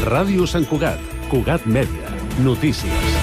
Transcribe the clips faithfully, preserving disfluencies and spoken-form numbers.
Ràdio Sant Cugat, Cugat Mèdia, notícies.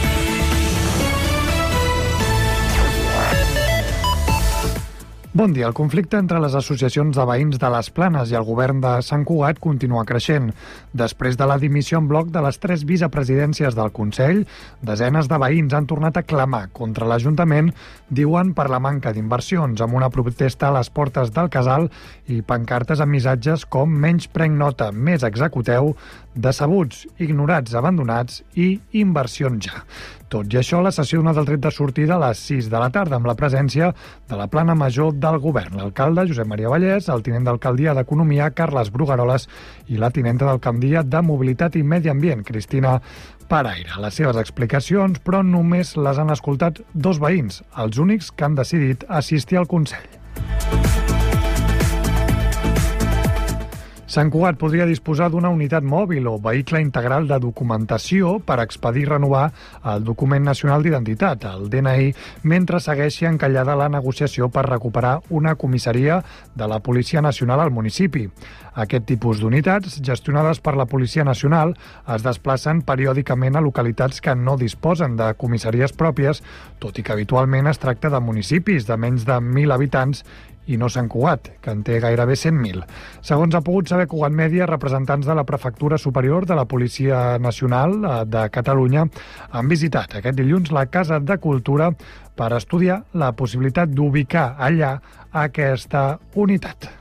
Bon dia. El conflicte entre les associacions de veïns de les Planes i el govern de Sant Cugat continua creixent. Després de la dimissió en bloc de les tres vicepresidències del Consell, desenes de veïns han tornat a clamar contra l'Ajuntament, diuen per la manca d'inversions, amb una protesta a les portes del casal i pancartes amb missatges com menys prenc nota, més executeu, decebuts, ignorats, abandonats i inversions ja. Tot i això, la sessió ha donat el tret de sortida a les sis de la tarda amb la presència de la plana major del govern, l'alcalde Josep Maria Vallès, el tinent d'alcaldia d'Economia, Carles Brugaroles, i la tinenta d'alcaldia de Mobilitat i Medi Ambient, Cristina Paraire. Les seves explicacions, però, només les han escoltat dos veïns, els únics que han decidit assistir al Consell. Sant Cugat podria disposar d'una unitat mòbil o vehicle integral de documentació per expedir i renovar el document nacional d'identitat, el D N I, mentre segueixi encallada la negociació per recuperar una comissaria de la Policia Nacional al municipi. Aquest tipus d'unitats, gestionades per la Policia Nacional, es desplacen periòdicament a localitats que no disposen de comissaries pròpies, tot i que habitualment es tracta de municipis de menys de mil habitants i no Sant Cugat, que en té gairebé cent mil. Segons ha pogut saber Cugat Mèdia, representants de la Prefectura Superior de la Policia Nacional de Catalunya han visitat aquest dilluns la Casa de Cultura per estudiar la possibilitat d'ubicar allà aquesta unitat.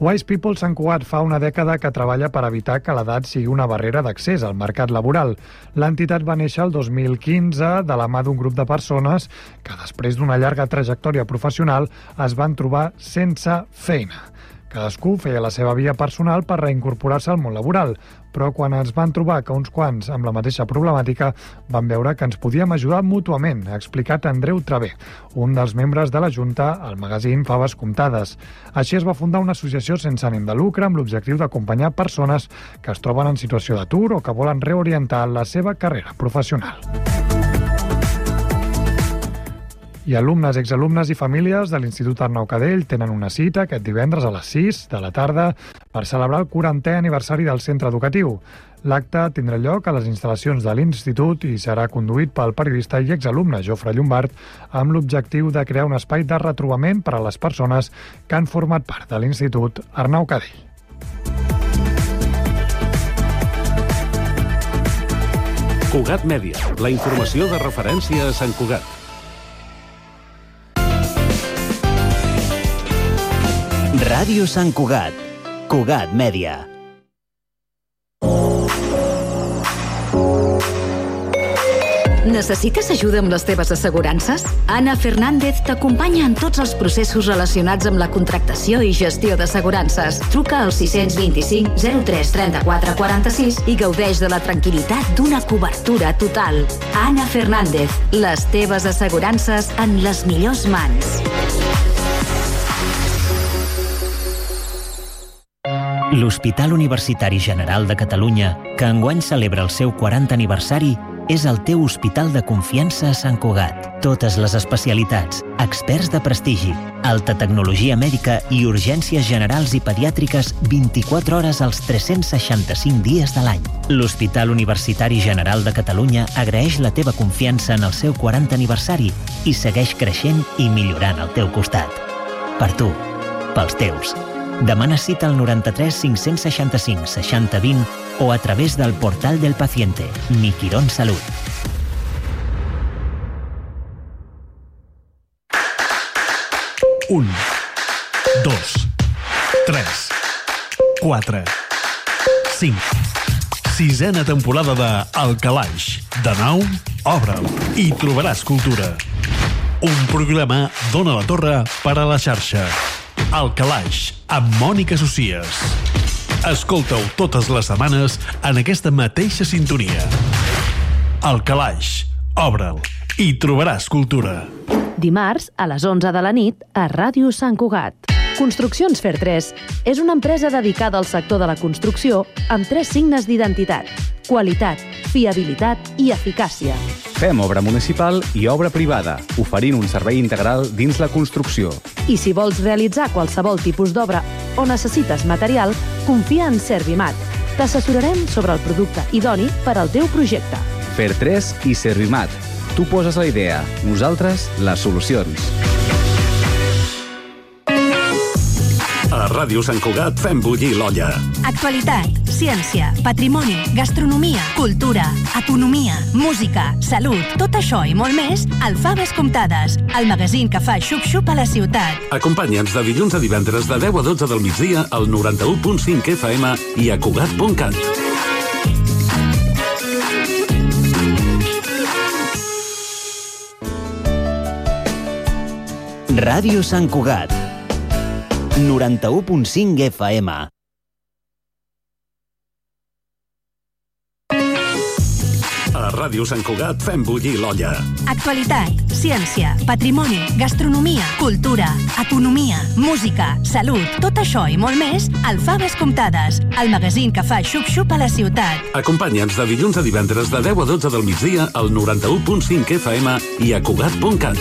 Wise People Sant Cugat fa una dècada que treballa per evitar que l'edat sigui una barrera d'accés al mercat laboral. L'entitat va néixer el dos mil quinze de la mà d'un grup de persones que després d'una llarga trajectòria professional es van trobar sense feina. Cadascú feia la seva via personal per reincorporar-se al món laboral, però quan ens van trobar que uns quants amb la mateixa problemàtica van veure que ens podíem ajudar mútuament, ha explicat Andreu Travé, un dels membres de la Junta al magazín Faves Comptades. Així es va fundar una associació sense ànim de lucre amb l'objectiu d'acompanyar persones que es troben en situació d'atur o que volen reorientar la seva carrera professional. I alumnes, exalumnes i famílies de l'Institut Arnau Cadell tenen una cita aquest divendres a les sis de la tarda per celebrar el quarantè aniversari del centre educatiu. L'acte tindrà lloc a les instal·lacions de l'Institut i serà conduït pel periodista i exalumne Jofre Llombard amb l'objectiu de crear un espai de retrobament per a les persones que han format part de l'Institut Arnau Cadell. Cugat Mèdia, la informació de referència a Sant Cugat. Ràdio Sant Cugat, Cugat Mèdia. Necessites ajuda amb les teves assegurances? Anna Fernández t'acompanya en tots els processos relacionats amb la contractació i gestió d'assegurances. Truca al sis dos cinc zero tres tres quatre quatre sis i gaudeix de la tranquil·litat d'una cobertura total. Anna Fernández, les teves assegurances en les millors mans. L'Hospital Universitari General de Catalunya, que enguany celebra el seu quarantè aniversari, és el teu hospital de confiança a Sant Cugat. Totes les especialitats, experts de prestigi, alta tecnologia mèdica i urgències generals i pediàtriques vint-i-quatre hores als tres-cents seixanta-cinc dies de l'any. L'Hospital Universitari General de Catalunya agraeix la teva confiança en el seu quarantè aniversari i segueix creixent i millorant al teu costat. Per tu, pels teus. Demana cita al noranta-tres cinc-cents seixanta-cinc seixanta vint o a través del portal del paciente, Mi Quirón Salut. Un, dos, tres, quatre, cinc. Sisena temporada de El Calaix. De nou, obre'l i trobaràs cultura. Un programa d'Ona la Torre per a la xarxa. El Calaix, amb Mònica Socies. Escolta-ho totes les setmanes en aquesta mateixa sintonia. El Calaix, obre'l i trobaràs cultura. Dimarts, a les onze de la nit, a Ràdio Sant Cugat. Construccions Fer tres és una empresa dedicada al sector de la construcció amb tres signes d'identitat: Qualitat, fiabilitat i eficàcia. Fem obra municipal i obra privada, oferint un servei integral dins la construcció. I si vols realitzar qualsevol tipus d'obra o necessites material, confia en Servimat. T'assessorarem sobre el producte idoni per al teu projecte. Fer tres i Servimat. Tu poses la idea, nosaltres les solucions. A Ràdio Sant Cugat fem bullir l'olla. Actualitat, ciència, patrimoni, gastronomia, cultura, economia, música, salut, tot això i molt més al Faves Comptades, el magazín que fa xup-xup a la ciutat. Acompanya'ns de dilluns a divendres de deu a dotze del migdia al noranta-u punt cinc F M i a Cugat punt cat. Ràdio Sant Cugat, noranta-u punt cinc F M. A Ràdio Sant Cugat fem bullir l'olla. Actualitat, ciència, patrimoni, gastronomia, cultura, economia, música, salut, tot això i molt més al Faves Comptades, el magazín que fa xup-xup a la ciutat. Acompanya'ns de dilluns a divendres de deu a dotze del migdia al noranta-u punt cinc F M i a Cugat punt cat.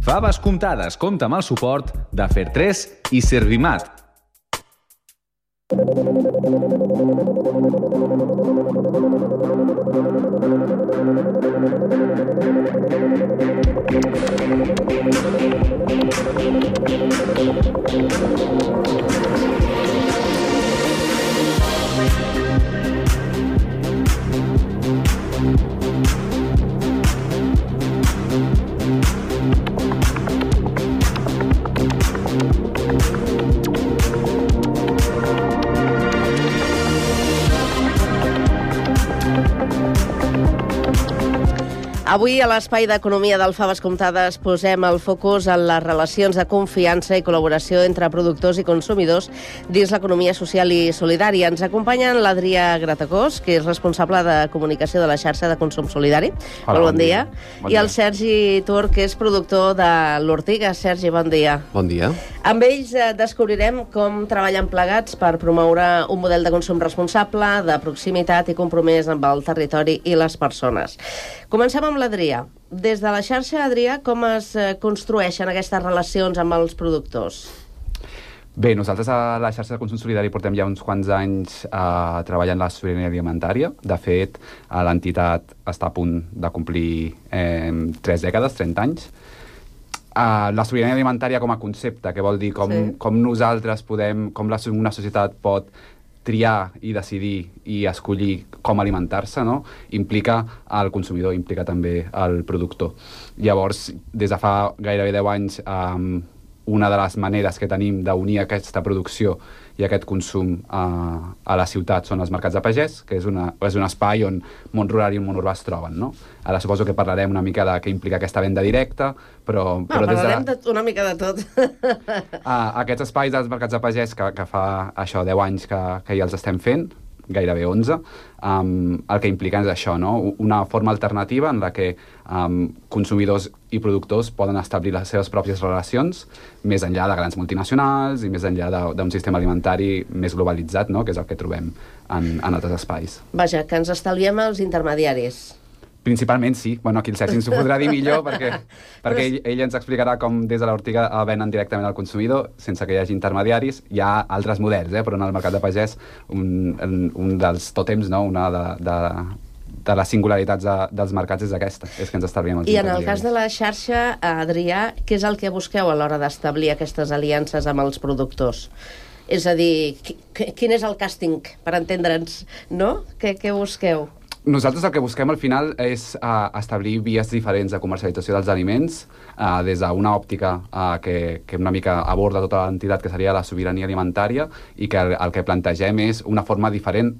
Faves Comptades compta amb el suport de Fer tres i Servimat. Avui, a l'Espai d'Economia del Faves Comptades, posem el focus en les relacions de confiança i col·laboració entre productors i consumidors dins l'economia social i solidària. Ens acompanyen l'Adrià Gratacós, que és responsable de comunicació de la xarxa de consum solidari. Hola, bon, bon dia. dia. Bon I el Sergi Tur, que és productor de l'Ortiga. Sergi, bon dia. Bon dia. Amb ells eh, descobrirem com treballen plegats per promoure un model de consum responsable, de proximitat i compromès amb el territori i les persones. Comencem amb l'Adrià. Des de la xarxa, Adrià, com es construeixen aquestes relacions amb els productors? Bé, nosaltres a la xarxa de consum solidari portem ja uns quants anys eh, treballant la sobirania alimentària. De fet, eh, l'entitat està a punt de complir eh, tres dècades, trenta anys. Uh, la sobirania alimentària com a concepte, que vol dir com, sí. com nosaltres podem, com la, una societat pot triar i decidir i escollir com alimentar-se, no? Implica el consumidor, implica també el productor. Llavors, des de fa gairebé deu anys, um, una de les maneres que tenim d'unir aquesta producció i aquest consum uh, a la ciutat són els mercats de pagès, que és, una, és un espai on món rural i món urbà es troben, no? Ara suposo que parlarem una mica de què implica aquesta venda directa, però... No, però parlarem des de... de, una mica de tot. uh, aquests espais dels mercats de pagès, que, que fa això deu anys que, que ja els estem fent, gairebé onze, um, el que implica és això, no? Una forma alternativa en la que um, consumidors i productors poden establir les seves pròpies relacions més enllà de grans multinacionals i més enllà d'un sistema alimentari més globalitzat, no? Que és el que trobem en, en altres espais. Vaja, que ens estalviem els intermediaris. Principalment sí. Bueno, aquí el Sergi ens ho podrà dir millor perquè, perquè ell, ell ens explicarà com des de l'Ortiga venen directament al consumidor sense que hi hagi intermediaris. Hi ha altres models, eh? Però en el mercat de pagès un, un dels tòtems, no? Una de, de, de les singularitats de, dels mercats és aquesta, és que ens estalviem els I intermediaris. en el cas de la xarxa, Adrià, què és el que busqueu a l'hora d'establir aquestes aliances amb els productors? És a dir, quin és el càsting, per entendre'ns, no? Què, què busqueu? Nosaltres el que busquem al final és uh, establir vies diferents de comercialització dels aliments uh, des d'una òptica uh, que, que una mica aborda tota l'entitat, que seria la sobirania alimentària, i que el, el que plantegem és una forma diferent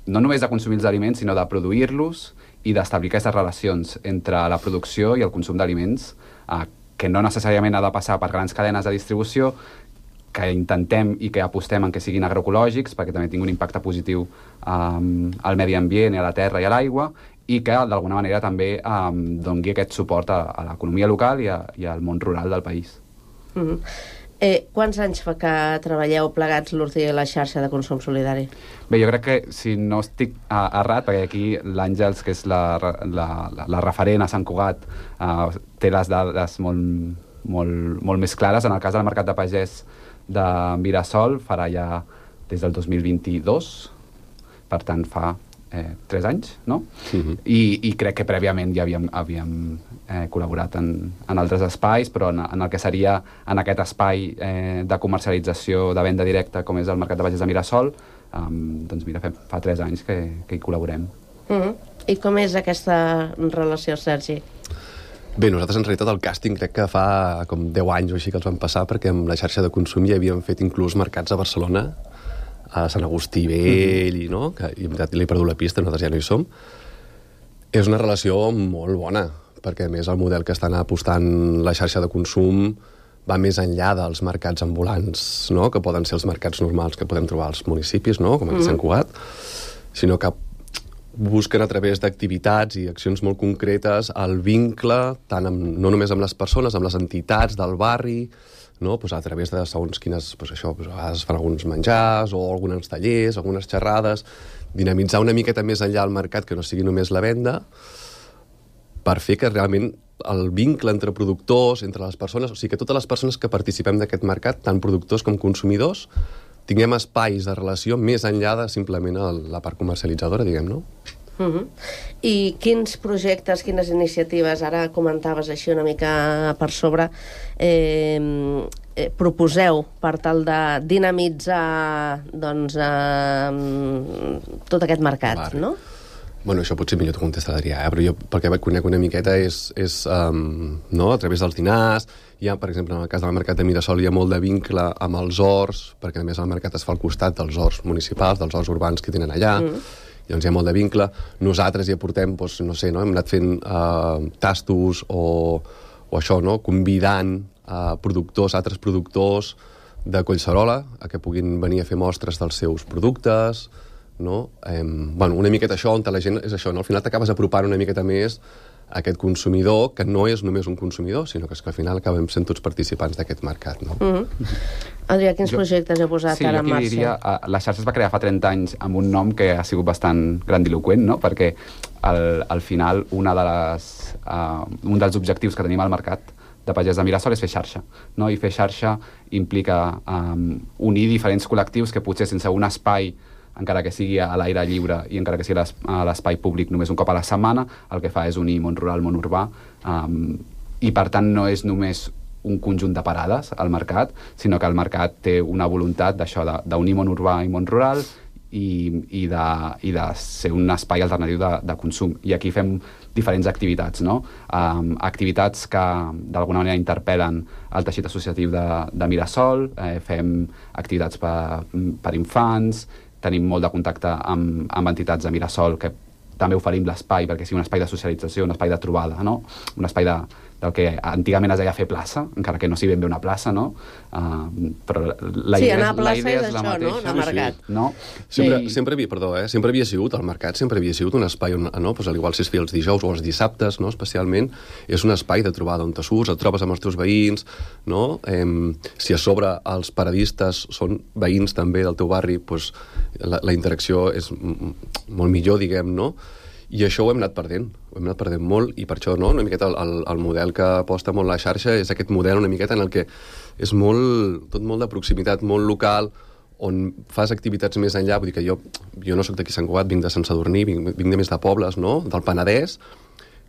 no només de consumir els aliments, sinó de produir-los i d'establir aquestes relacions entre la producció i el consum d'aliments, uh, que no necessàriament ha de passar per grans cadenes de distribució, que intentem i que apostem en que siguin agroecològics perquè també tingui un impacte positiu um, al medi ambient i a la terra i a l'aigua, i que d'alguna manera també um, doni aquest suport a, a l'economia local i, a, i al món rural del país. Mm-hmm. eh, quants anys fa que treballeu plegats l'Urti i la xarxa de consum solidari? Bé, jo crec que, si no estic uh, errat, perquè aquí l'Àngels, que és la, la, la, la referent a Sant Cugat, uh, té les dades molt, molt, molt més clares. En el cas del mercat de pagès de Mirasol farà ja des del dos mil vint-i-dos, per tant fa Eh, tres anys, no? Uh-huh. I, I crec que prèviament ja havíem, havíem eh, col·laborat en, en altres espais, però en, en el que seria en aquest espai eh, de comercialització de venda directa, com és el mercat de pagès de Mirasol, um, doncs mira, fa, fa tres anys que, que hi col·laborem. Uh-huh. I com és aquesta relació, Sergi? Bé, nosaltres en realitat el càsting crec que fa com deu anys o així que els vam passar, perquè amb la xarxa de consum ja havíem fet inclús mercats a Barcelona, a Sant Agustí Vell, i, no? que i, li he perdut la pista, nosaltres ja no hi som. És una relació molt bona, perquè a més el model que estan apostant la xarxa de consum va més enllà dels mercats ambulants, no? que poden ser els mercats normals que podem trobar als municipis, no? com aquí a Sant Cugat, sinó que busquen a través d'activitats i accions molt concretes el vincle, tant amb, no només amb les persones, amb les entitats del barri, no? pues a través de segons quines, pues això, pues a vegades fan alguns menjars o alguns tallers, algunes xerrades, dinamitzar una miqueta més enllà al mercat, que no sigui només la venda, per fer que realment el vincle entre productors, entre les persones, o sigui que totes les persones que participem d'aquest mercat, tant productors com consumidors, tinguem espais de relació més enllà de simplement la part comercialitzadora, diguem, no? Uh-huh. I quins projectes, quines iniciatives, ara comentaves així una mica per sobre, eh, eh, proposeu per tal de dinamitzar doncs, eh, tot aquest mercat, vale. no? Bueno, això potser millor t'ho contesta l'Adrià, eh? però jo pel que conec una miqueta és, és um, no? a través dels dinars. Hi ha, per exemple, en el cas del mercat de Mirasol hi ha molt de vincle amb els horts, perquè a més el mercat es fa al costat dels horts municipals, dels horts urbans que tenen allà, mm. llavors hi ha molt de vincle. Nosaltres hi aportem, doncs, no sé, no? hem anat fent uh, tastos o, o això, no? convidant uh, productors, altres productors de Collserola a que puguin venir a fer mostres dels seus productes, no? Eh, bueno, una miqueta això, on la gent és això, no? Al final t'acabes apropant una miqueta més a aquest consumidor, que no és només un consumidor, sinó que, és que al final acabem sent tots participants d'aquest mercat, no? Mm-hmm. Adrià, quins jo, projectes heu posat sí, ara en marxa? Sí, jo aquí diria, la xarxa es va crear fa trenta anys amb un nom que ha sigut bastant grandiloquent, no? Perquè al, al final una de les, uh, un dels objectius que tenim al mercat de pagès de Mirasol és fer xarxa, no? I fer xarxa implica um, unir diferents col·lectius que potser sense un espai, encara que sigui a l'aire lliure i encara que sigui a l'espai públic només un cop a la setmana, el que fa és unir món rural, món urbà, um, i per tant no és només un conjunt de parades al mercat, sinó que el mercat té una voluntat d'això, d'unir món urbà i món rural i, i, de, i de ser un espai alternatiu de, de consum. I aquí fem diferents activitats, no? Um, activitats que d'alguna manera interpel·len el teixit associatiu de, de Mirasol, eh, fem activitats per, per infants, tenim molt de contacte amb, amb entitats de Mirasol que també oferim l'espai perquè sigui un espai de socialització, un espai de trobada, no? Un espai de, del que antigament es deia fer plaça, encara que no sigui ben bé una plaça, no? Uh, però la sí, idea, anar a plaça la idea és, és la això, mateixa. no? Anar a mercat. Sí, no? Sempre, I... sempre, havia, perdó, eh? sempre havia sigut, el mercat sempre havia sigut un espai on, no? pues, al igual si es feia els dijous o els dissabtes, no? especialment, és un espai de trobada on te surts, et trobes amb els teus veïns, no? Eh, si a sobre els paradistes són veïns també del teu barri, pues, la, la interacció és molt millor, diguem, no? I això ho hem anat perdent, ho hem anat perdent molt, i per això, no?, una miqueta el, el, el model que aposta molt la xarxa és aquest model una miqueta en el que és molt, tot molt de proximitat, molt local, on fas activitats més enllà. Vull dir que jo, jo no soc d'aquí Sant Cugat, vinc de Sant Sadurní, vinc, vinc de més de pobles, no?, del Penedès,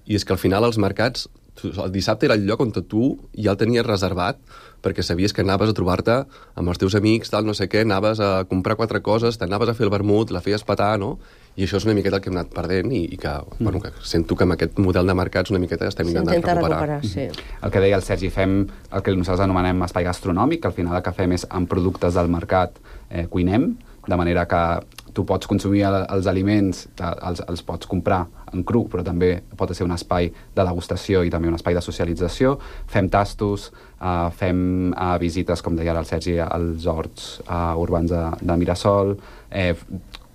i és que al final els mercats, el dissabte era el lloc on tu ja el tenies reservat, perquè sabies que anaves a trobar-te amb els teus amics, tal, no sé què, anaves a comprar quatre coses, t'anaves a fer el vermut, la feies petar, no? I això és una miqueta el que hem anat perdent i, i que, mm. bueno, que sento que amb aquest model de mercats una miqueta estem intentant recuperar. recuperar sí. El que deia el Sergi, fem el que nosaltres anomenem espai gastronòmic, que al final el que fem és amb productes del mercat eh, cuinem, de manera que tu pots consumir el, els aliments, els, els pots comprar en cru, però també pot ser un espai de degustació i també un espai de socialització. Fem tastos, uh, fem uh, visites, com deia ara el Sergi, als horts uh, urbans de, de Mirasol, eh,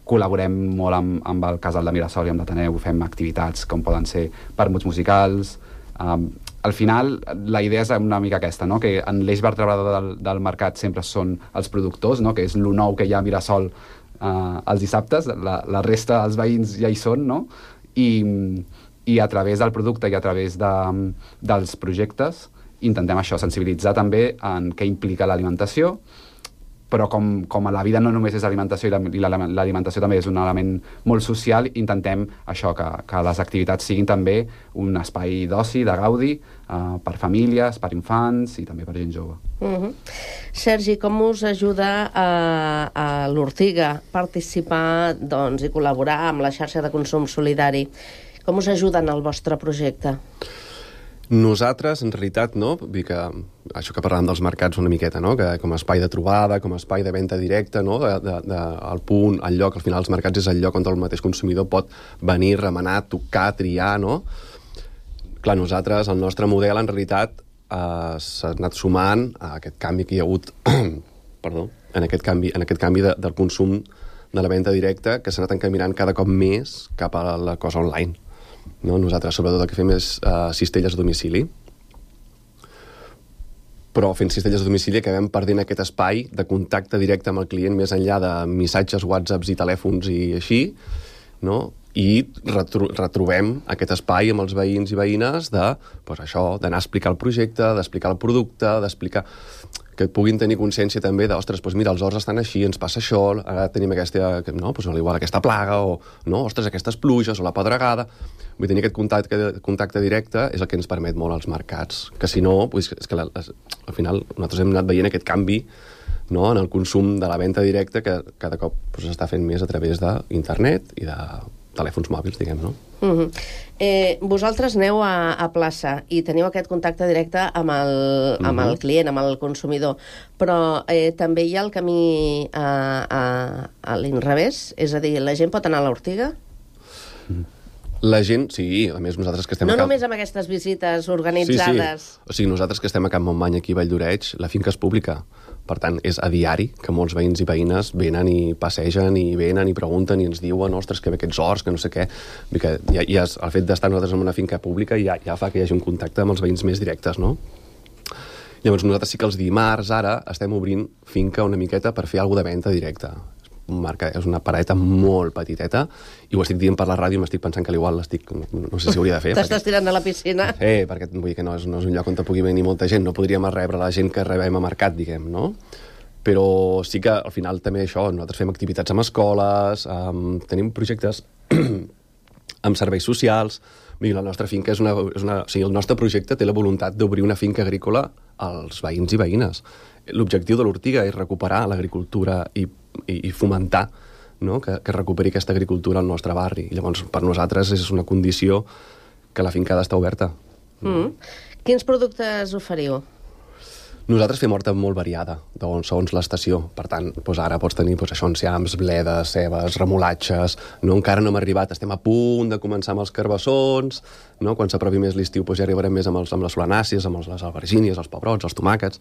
col·laborem molt amb, amb el Casal de Mirasol i amb l'Ateneu, fem activitats com poden ser permuts musicals. Um, al final, la idea és una mica aquesta, no? Que en l'eix vertebrador del, del mercat sempre són els productors, no? Que és lo nou que hi ha a Mirasol uh, els dissabtes, la, la resta dels veïns ja hi són, no? I, i a través del producte i a través de, dels projectes intentem això, sensibilitzar també en què implica l'alimentació, però com, com a la vida no només és alimentació i l'alimentació també és un element molt social, intentem això, que, que les activitats siguin també un espai d'oci, de gaudi, uh, per famílies, per infants i també per gent jove. Uh-huh. Sergi, com us ajuda a, a l'Ortiga participar, doncs, i col·laborar amb la xarxa de consum solidari? Com us ajuden al vostre projecte? Nosaltres, en realitat, no? Vull dir que això que parlàvem dels mercats una miqueta, no? Que com a espai de trobada, com a espai de venda directa, no? De, de, de, el punt, el lloc, al final els mercats és el lloc on el mateix consumidor pot venir, remenar, tocar, triar, no? Clar, nosaltres, el nostre model, en realitat, eh, s'ha anat sumant a aquest canvi que hi ha hagut, perdó, en aquest canvi, en aquest canvi de, del consum de la venda directa, que s'ha anat encaminant cada cop més cap a la cosa online. No? Nosaltres, sobretot, el que fem és uh, cistelles a domicili. Però fent cistelles a domicili acabem perdent aquest espai de contacte directe amb el client més enllà de missatges, whatsapps i telèfons i així, no? I retro retrobem aquest espai amb els veïns i veïnes de, pues això, d'anar a explicar el projecte, d'explicar el producte, d'explicar que puguin tenir consciència també de, ostres, doncs mira, els horts estan així, ens passa això, ara tenim aquesta, no, doncs igual aquesta plaga, o no, ostres, aquestes pluges, o la pedregada. Vull tenir aquest contacte, contacte directe és el que ens permet molt als mercats, que si no, doncs, és que la, al final nosaltres hem anat veient aquest canvi, no, en el consum de la venda directa que cada cop s'està doncs, fent més a través d'internet i de telèfons mòbils, diguem, no? Uh-huh. eh, vosaltres aneu a, a plaça i teniu aquest contacte directe amb el, uh-huh. amb el client, amb el consumidor, però eh, també hi ha el camí a, a, a l'inrevés? És a dir, la gent pot anar a l'Ortiga? La gent, sí, a més nosaltres que estem no a Camp... només amb aquestes visites organitzades. Sí, sí. O sigui, nosaltres que estem a Camp Montmany, aquí a Vall d'Oreig, la finca és pública. Per tant, és a diari que molts veïns i veïnes venen i passegen i venen i pregunten i ens diuen, ostres, que bé aquests horts, que no sé què. Que ja, ja, el fet d'estar nosaltres en una finca pública ja, ja fa que hi hagi un contacte amb els veïns més directes, no? Llavors nosaltres sí que els dimarts, ara, estem obrint finca una miqueta per fer alguna de venda directa. Marca, és una paradeta molt petiteta i ho estic dient per la ràdio i m'estic pensant que l'igual l'estic... No, no sé si hauria de fer. T'estàs perquè... tirant a la piscina. Eh, perquè vull dir que no és, no és un lloc on pugui venir molta gent, no podríem rebre la gent que rebem a mercat, diguem, no? Però sí que al final també això, nosaltres fem activitats amb escoles, um, tenim projectes amb serveis socials. Vull dir, la nostra finca és una, és una... O sigui, el nostre projecte té la voluntat d'obrir una finca agrícola als veïns i veïnes. L'objectiu de l'Ortiga és recuperar l'agricultura i, i, i fomentar, no? que, que recuperi aquesta agricultura al nostre barri. I llavors, per nosaltres, és una condició que la finca ha d'estar oberta. Mm. Quins productes oferiu? Nosaltres fem horta molt variada, doncs, segons l'estació. Per tant, doncs ara pots tenir doncs, això, enciams, bledes, cebes, remolatges... No, encara no hem arribat, estem a punt de començar amb els carbassons, no? Quan s'aprovi més l'estiu doncs ja arribarem més amb, els, amb les solanàcies, amb les albergínies, els pebrots, els tomàquets...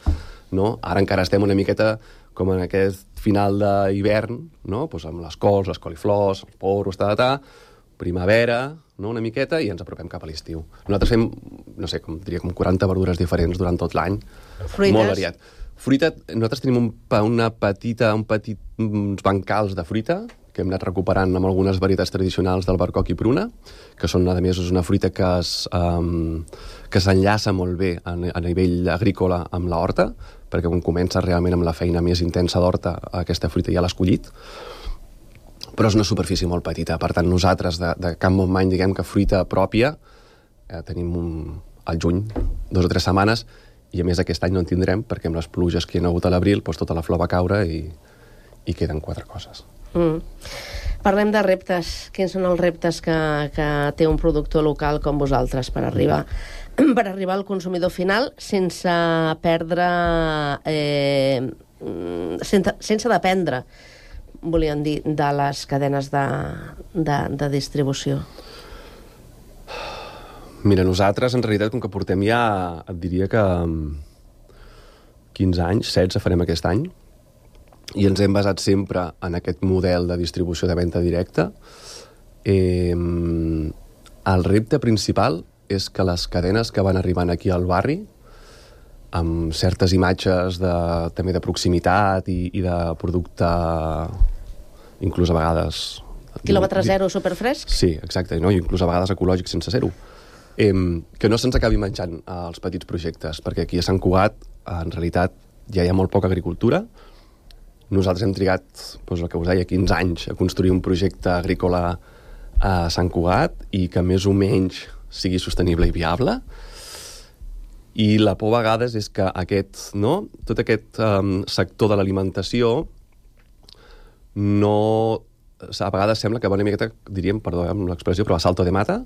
No? Ara encara estem una miqueta com en aquest final d'hivern, no? Doncs amb les cols, les coliflors, els porros, ta, ta, ta, primavera, no? Una miqueta, i ens apropem cap a l'estiu. Nosaltres fem, no sé, com diria, com quaranta verdures diferents durant tot l'any. Fruites? Molt variat. Fruita, nosaltres tenim un, una petita, un petit, uns bancals de fruita que hem anat recuperant amb algunes varietats tradicionals del barcoc i pruna, que són, a més, una fruita que es, um, que s'enllaça molt bé a, a nivell agrícola amb la horta, perquè quan comença realment amb la feina més intensa d'horta, aquesta fruita ja l'ha escollit, però és una superfície molt petita. Per tant, nosaltres, de, de Camp Montmany, diguem que fruita pròpia, eh, tenim un, al juny, dos o tres setmanes, i a més aquest any no en tindrem, perquè amb les pluges que hi ha hagut a l'abril, doncs tota la flor va caure i, i queden quatre coses. Mm. Parlem de reptes. Quins són els reptes que, que té un productor local com vosaltres per arribar, per arribar al consumidor final sense perdre... Eh, sense, sense dependre, volien dir, de les cadenes de, de, de distribució? Mira, nosaltres, en realitat, com que portem ja, et diria que quinze anys, setze farem aquest any, i ens hem basat sempre en aquest model de distribució de venda directa. Eh, el repte principal és que les cadenes que van arribant aquí al barri, amb certes imatges de, també de proximitat i, i de producte, inclús a vegades... Quilòmetre zero superfresc? Sí, exacte, no? I inclús a vegades ecològic sense ser-ho. Eh, que no se'ns acabi menjant eh, els petits projectes, perquè aquí a Sant Cugat, en realitat, ja hi ha molt poca agricultura. Nosaltres hem trigat, doncs el que us deia, quinze anys a construir un projecte agrícola a Sant Cugat i que més o menys sigui sostenible i viable. I la por a vegades és que aquest, no? tot aquest um, sector de l'alimentació no... A vegades sembla que va una miqueta, diríem, perdó amb l'expressió, però a salto de mata,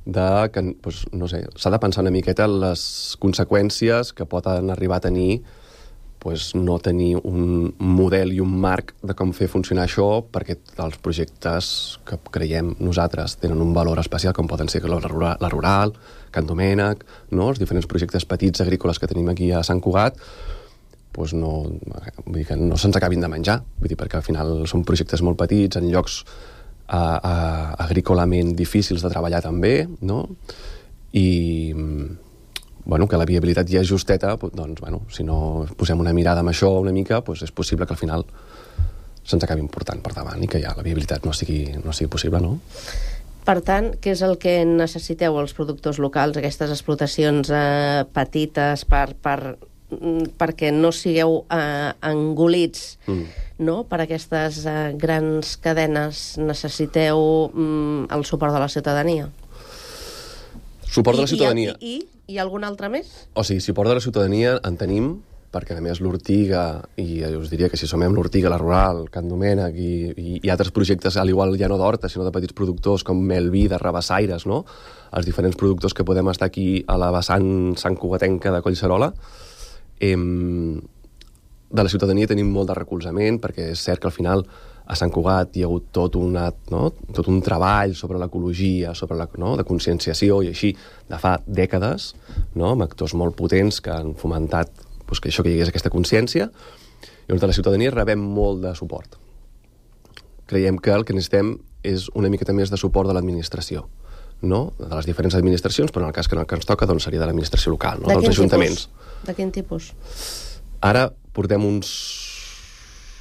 de que, doncs, no sé, s'ha de pensar una miqueta en les conseqüències que poden arribar a tenir pues, no tenir un model i un marc de com fer funcionar això, perquè els projectes que creiem nosaltres tenen un valor especial, com poden ser la Rural, la Rural Can Domènec, no? Els diferents projectes petits agrícoles que tenim aquí a Sant Cugat, pues no, vull dir que no se'ns acabin de menjar, vull dir, perquè al final són projectes molt petits, en llocs a, a, agrícolament difícils de treballar també, no? I... bueno, que la viabilitat ja és justeta, doncs, bueno, si no posem una mirada amb això una mica, doncs és possible que al final se'ns acabi important per davant i que ja la viabilitat no sigui, no sigui possible, no? Per tant, què és el que necessiteu els productors locals, aquestes explotacions eh, petites, per, per, perquè no sigueu eh, engolits mm. no? per aquestes eh, grans cadenes? Necessiteu mm, el suport de la ciutadania? Suport de la ciutadania. I, i, i algun altre més? O sigui, suport de la ciutadania en tenim, perquè a més l'Ortiga, i us diria que si sumem l'Ortiga, la Rural, Can Domènec i, i, i altres projectes, al igual ja no d'horta, sinó de petits productors com Melví, de Rabassaires, no? Els diferents productors que podem estar aquí a la vessant Sant Cugatenca de Collserola, eh, de la ciutadania tenim molt de recolzament, perquè és cert que al final a Sant Cugat hi ha hagut tot, una, no? tot un treball sobre l'ecologia, sobre la, no? de conscienciació i així, de fa dècades, no? amb actors molt potents que han fomentat pues, que això que hi hagués aquesta consciència, i on de la ciutadania rebem molt de suport. Creiem que el que necessitem és una miqueta més de suport de l'administració, no? de les diferents administracions, però en el cas que, en el que ens toca doncs, seria de l'administració local, no? de dels ajuntaments. Tipus? De quin tipus? Ara portem uns...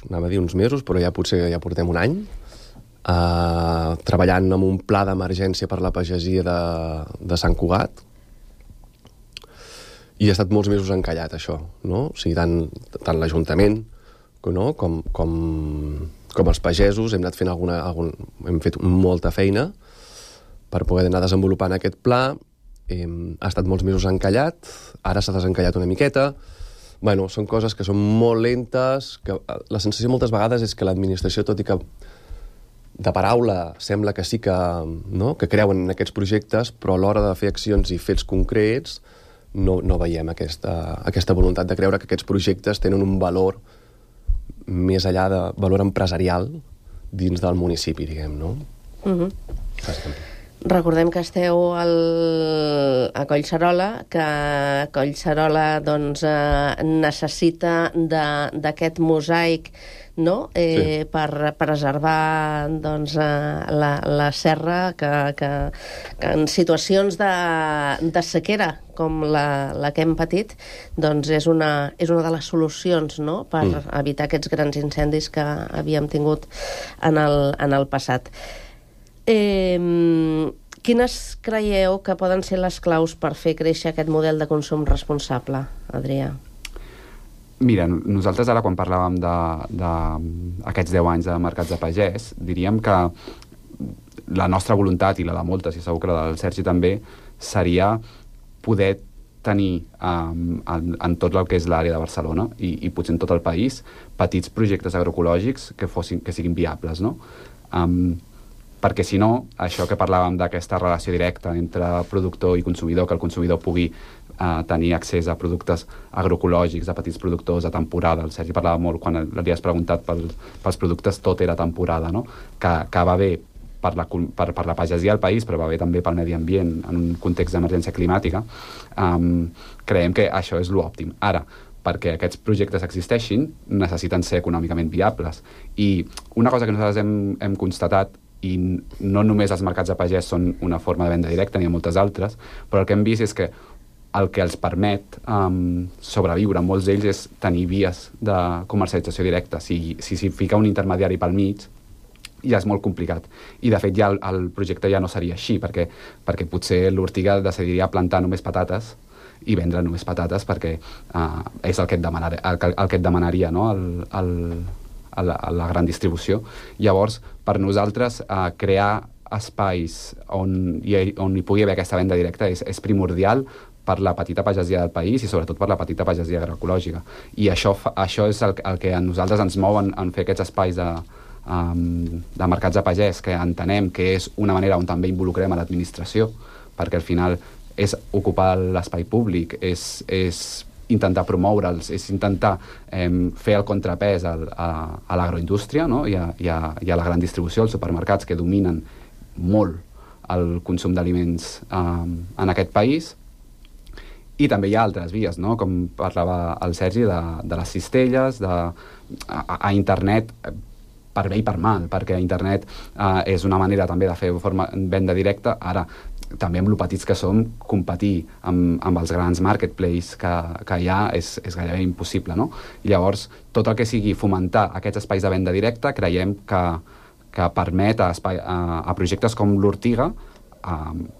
anava a dir uns mesos, però ja potser ja portem un any, eh, treballant amb un pla d'emergència per la pagesia de, de Sant Cugat, i ha estat molts mesos encallat, això, no? O sigui, tant, tant l'Ajuntament no? com, com, com els pagesos hem anat fent alguna... Algun, hem fet molta feina per poder anar desenvolupant aquest pla. Eh, ha estat molts mesos encallat, ara s'ha desencallat una miqueta. Bueno, són coses que són molt lentes, que la sensació moltes vegades és que l'administració, tot i que de paraula sembla que sí que, no? que creuen en aquests projectes, però a l'hora de fer accions i fets concrets no, no veiem aquesta, aquesta voluntat de creure que aquests projectes tenen un valor més enllà de valor empresarial dins del municipi, diguem, no? Mhm. Bàsicament. Recordem que esteu al, a Collserola, que Collserola doncs, eh, necessita d'aquest mosaic, no? eh, sí. per preservar doncs, eh, la, la serra que, que, que en situacions de, de sequera com la, la que hem patit doncs és una, és una de les solucions, no? per mm. evitar aquests grans incendis que havíem tingut en el, en el passat. Eh, quines creieu que poden ser les claus per fer créixer aquest model de consum responsable, Adrià? Mira, nosaltres ara quan parlàvem d'aquests deu anys de mercats de pagès, diríem que la nostra voluntat, i la de moltes, i segur que la del Sergi també, seria poder tenir um, en, en tot el que és l'àrea de Barcelona i, i potser en tot el país petits projectes agroecològics que, fossin, que siguin viables, no? Um, perquè si no, això que parlàvem d'aquesta relació directa entre productor i consumidor, que el consumidor pugui eh, tenir accés a productes agroecològics, a petits productors a temporada. El Sergi parlava molt, quan li has preguntat pel, pels productes, tot era temporada, no? Que, que va bé per la, per, per la pagesia al país, però va bé també pel medi ambient en un context d'emergència climàtica. Um, creiem que això és l'òptim. Ara, perquè aquests projectes existeixin, necessiten ser econòmicament viables. I una cosa que nosaltres hem, hem constatat, i no només els mercats de pagès són una forma de venda directa, n'hi ha moltes altres, però el que hem vist és que el que els permet um, sobreviure, molts d'ells, és tenir vies de comercialització directa. Si s'hi si fica un intermediari pel mig, ja és molt complicat. I, de fet, ja el, el projecte ja no seria així, perquè, perquè potser l'Ortiga decidiria plantar només patates i vendre només patates, perquè uh, és el que et, demanar, el, el que et demanaria, no? el, el, a, la, a la gran distribució. Llavors, per nosaltres, uh, crear espais on hi, on hi pugui haver aquesta venda directa és, és primordial per la petita pagesia del país i sobretot per la petita pagesia agroecològica. I això, fa, això és el, el que a nosaltres ens mou en, en fer aquests espais de, um, de mercats de pagès, que entenem que és una manera on també involucrem a l'administració, perquè al final és ocupar l'espai públic, és, és intentar promoure'ls, és intentar eh, fer el contrapès al, a, a l'agroindústria, no? I, a, i, a, i a la gran distribució, els supermercats que dominen molt el consum d'aliments um, en aquest país. I també hi ha altres vies, no? Com parlava el Sergi, de, de les cistelles, de, a, a internet, per bé i per mal, perquè internet eh, és una manera també de fer forma, venda directa. Ara, també amb lo petits que som, competir amb, amb els grans marketplaces que, que hi ha és, és gairebé impossible, no? I llavors, tot el que sigui fomentar aquests espais de venda directa, creiem que, que permet a, espai, a, a projectes com l'Ortiga a,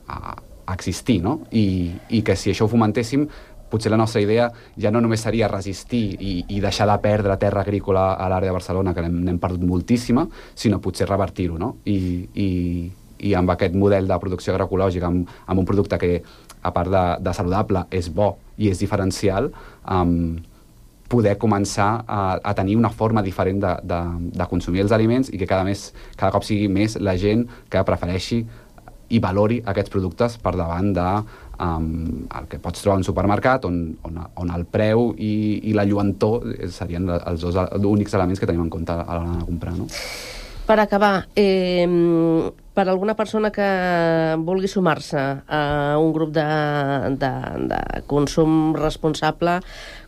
a existir, no? I, i que si això ho fomentéssim, potser la nostra idea ja no només seria resistir i, i deixar de perdre terra agrícola a l'àrea de Barcelona, que n'hem perdut moltíssima, sinó potser revertir-ho, no? I, i, i amb aquest model de producció agroecològica, amb, amb un producte que, a part de, de saludable, és bo i és diferencial, um, poder començar a, a tenir una forma diferent de, de, de consumir els aliments i que cada, més, cada cop sigui més la gent que prefereixi i valori aquests productes per davant de um, el que pots trobar en un supermercat on, on, on el preu i, i la lluentor serien els dos únics elements que tenim en compte a l'hora de comprar, no? Per acabar, eh, per alguna persona que vulgui sumar-se a un grup de, de, de consum responsable,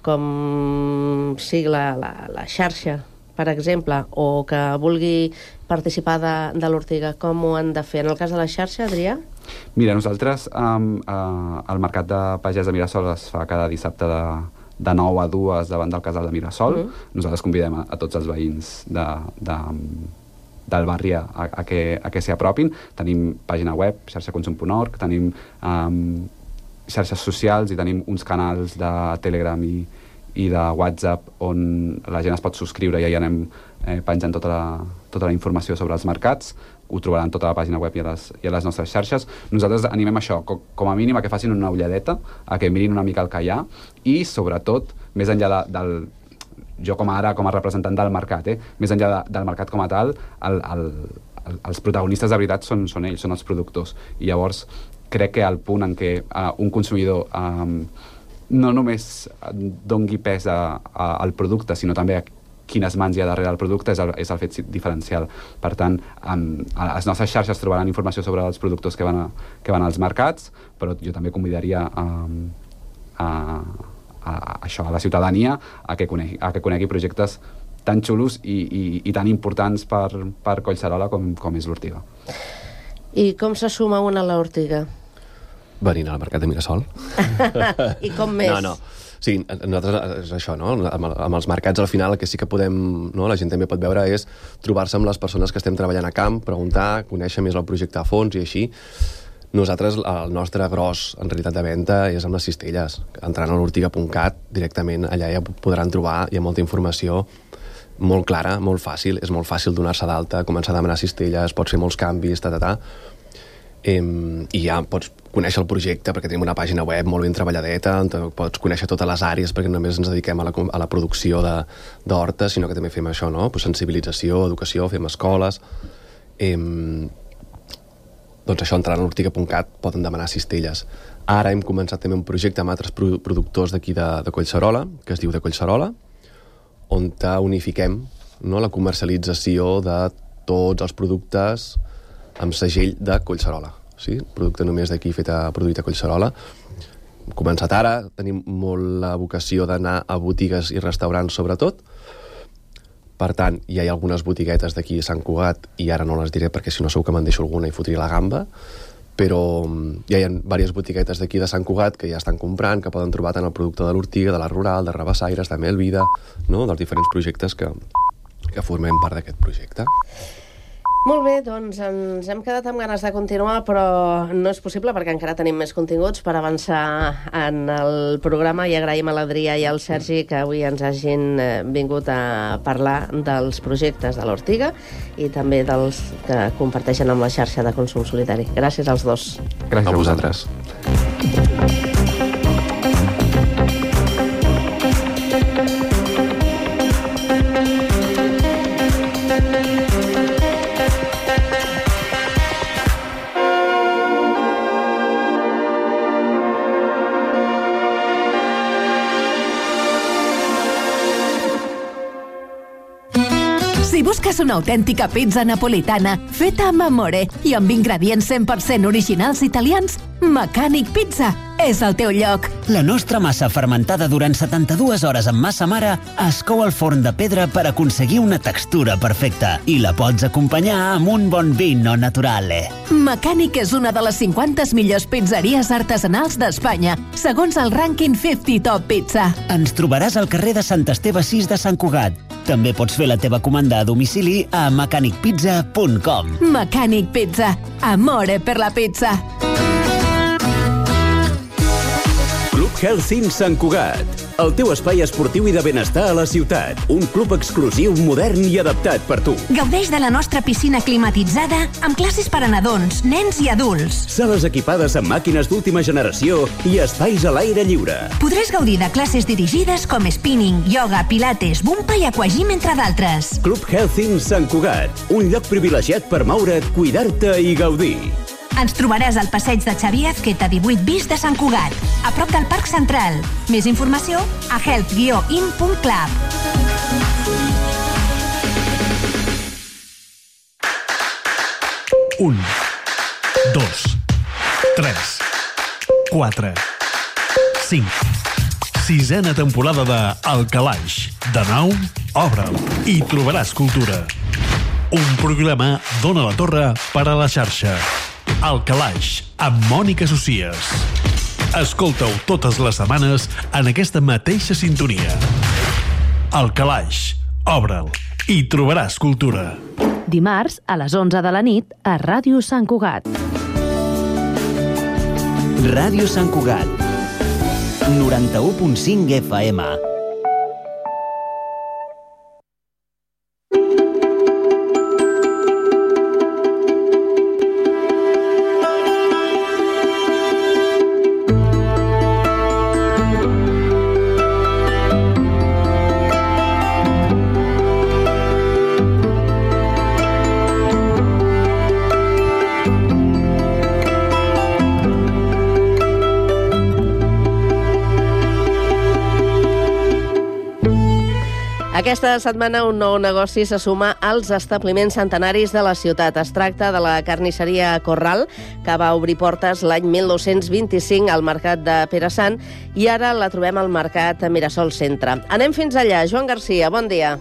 com sigui la, la, la xarxa, per exemple, o que vulgui participar de, de l'Ortiga, com ho han de fer? En el cas de la xarxa, Adrià? Mira, nosaltres, um, uh, el mercat de pagès de Mirasol es fa cada dissabte de, de nou a dues davant del casal de Mirasol. Mm. Nosaltres convidem a, a tots els veïns de, de, del barri a, a que, a que s'hi apropin. Tenim pàgina web, xarxa consum punt org, tenim um, xarxes socials i tenim uns canals de Telegram i, i de WhatsApp on la gent es pot subscriure i ja anem eh, penjant tota la, tota la informació sobre els mercats. Ho trobaran tota la pàgina web i a les, i a les nostres xarxes. Nosaltres animem això, com, com a mínim a que facin una ulladeta, a que mirin una mica el que hi ha i, sobretot, més enllà de, del... jo com a ara, com a representant del mercat, eh, més enllà de, del mercat com a tal, el, el, el, els protagonistes de veritat són, són ells, són els productors. I llavors crec que el punt en què uh, un consumidor um, no només dongui pes a, a, al producte, sinó també a quines mans hi ha darrere del producte, és el, és el fet diferencial. Per tant, um, a les nostres xarxes trobaran informació sobre els productors que van, a, que van als mercats, però jo també convidaria um, a, a, a això, a la ciutadania a que conegui, a que conegui projectes tan xulos i, i, i tan importants per, per Collserola com, com és l'Ortiga. I com se suma una a l'Ortiga? Venint al mercat de Mirasol. I com més? No, no. Sí, nosaltres és això, no? Amb, amb els mercats al final el que sí que podem, no? La gent també pot veure és trobar-se amb les persones que estem treballant a camp, preguntar, conèixer més el projecte a fons i així. Nosaltres, el nostre gros, en realitat, de venda és amb les cistelles. Entrant a l'ortiga punt cat, directament allà ja podran trobar, hi ha molta informació molt clara, molt fàcil, és molt fàcil donar-se d'alta, començar a demanar cistelles, pots fer molts canvis, ta, ta, ta. Em, i ja pots conèixer el projecte perquè tenim una pàgina web molt ben treballadeta, pots conèixer totes les àrees perquè només ens dediquem a la, a la producció d'horta, sinó que també fem això, no? Pues sensibilització, educació, fem escoles. Em, doncs això, entrant a l'ortiga punt cat poden demanar cistelles. Ara hem començat també un projecte amb altres productors d'aquí de, de Collserola, que es diu de Collserola, on unifiquem, no, la comercialització de tots els productes amb segell de Collserola. Sí? Producte només d'aquí fet a produït a Collserola. començat ara, tenim molt la vocació d'anar a botigues i restaurants sobretot. Per tant, hi ha algunes botiguetes d'aquí a Sant Cugat, i ara no les diré perquè si no segur que me'n deixo alguna i fotria la gamba, però ja hi ha diverses botiguetes d'aquí de Sant Cugat que ja estan comprant, que poden trobar tant el producte de l'Ortiga, de la Rural, de Rabassaires, de Melvida, no? Dels diferents projectes que, que formem part d'aquest projecte. Molt bé, doncs ens hem quedat amb ganes de continuar, però no és possible perquè encara tenim més continguts per avançar en el programa, i agraïm a l'Adrià i al Sergi que avui ens hagin vingut a parlar dels projectes de l'Ortiga i també dels que comparteixen amb la xarxa de consum solidari. Gràcies als dos. Gràcies a vosaltres. Si busques una autèntica pizza napolitana feta amb amore i amb ingredients cent per cent originals italians, Mecànic Pizza és el teu lloc. La nostra massa fermentada durant setanta-dues hores amb massa mare es cou al forn de pedra per aconseguir una textura perfecta i la pots acompanyar amb un bon vino naturale. Mecànic és una de les cinquanta millors pizzeries artesanals d'Espanya, segons el rànquing cinquanta Top Pizza. Ens trobaràs al carrer de Sant Esteve sis de Sant Cugat. També pots fer la teva comanda a domicili a mecànic pizza punt com. Mecànic Pizza. Amore per la pizza. Club Healthing Sant Cugat, el teu espai esportiu i de benestar a la ciutat. Un club exclusiu, modern i adaptat per tu. Gaudeix de la nostra piscina climatitzada amb classes per a nadons, nens i adults. Sales equipades amb màquines d'última generació i espais a l'aire lliure. Podràs gaudir de classes dirigides com spinning, yoga, pilates, bumpa i aquagym, entre d'altres. Club Healthing Sant Cugat, un lloc privilegiat per moure't, cuidar-te i gaudir. Ens trobaràs al passeig de Xavier Azqueta divuit bis de Sant Cugat, a prop del Parc Central. Més informació a health guió in punt club. Un, dos, tres, quatre, cinc. Sisena temporada de El Calaix. De nou, obre'l i trobaràs cultura. Un programa d'Ona la Torre per a la xarxa. El Calaix, amb Mònica Socies. Escolta-ho totes les setmanes en aquesta mateixa sintonia. El Calaix, obre'l i trobaràs cultura. Dimarts, a les onze de la nit, a Ràdio Sant Cugat. Ràdio Sant Cugat, noranta-u punt cinc F M. Aquesta setmana un nou negoci se suma als establiments centenaris de la ciutat. Es tracta de la carnisseria Corral, que va obrir portes l'any mil nou-cents vint-i-cinc al mercat de Pere Sant i ara la trobem al mercat Mirasol Centre. Anem fins allà. Joan Garcia, bon dia.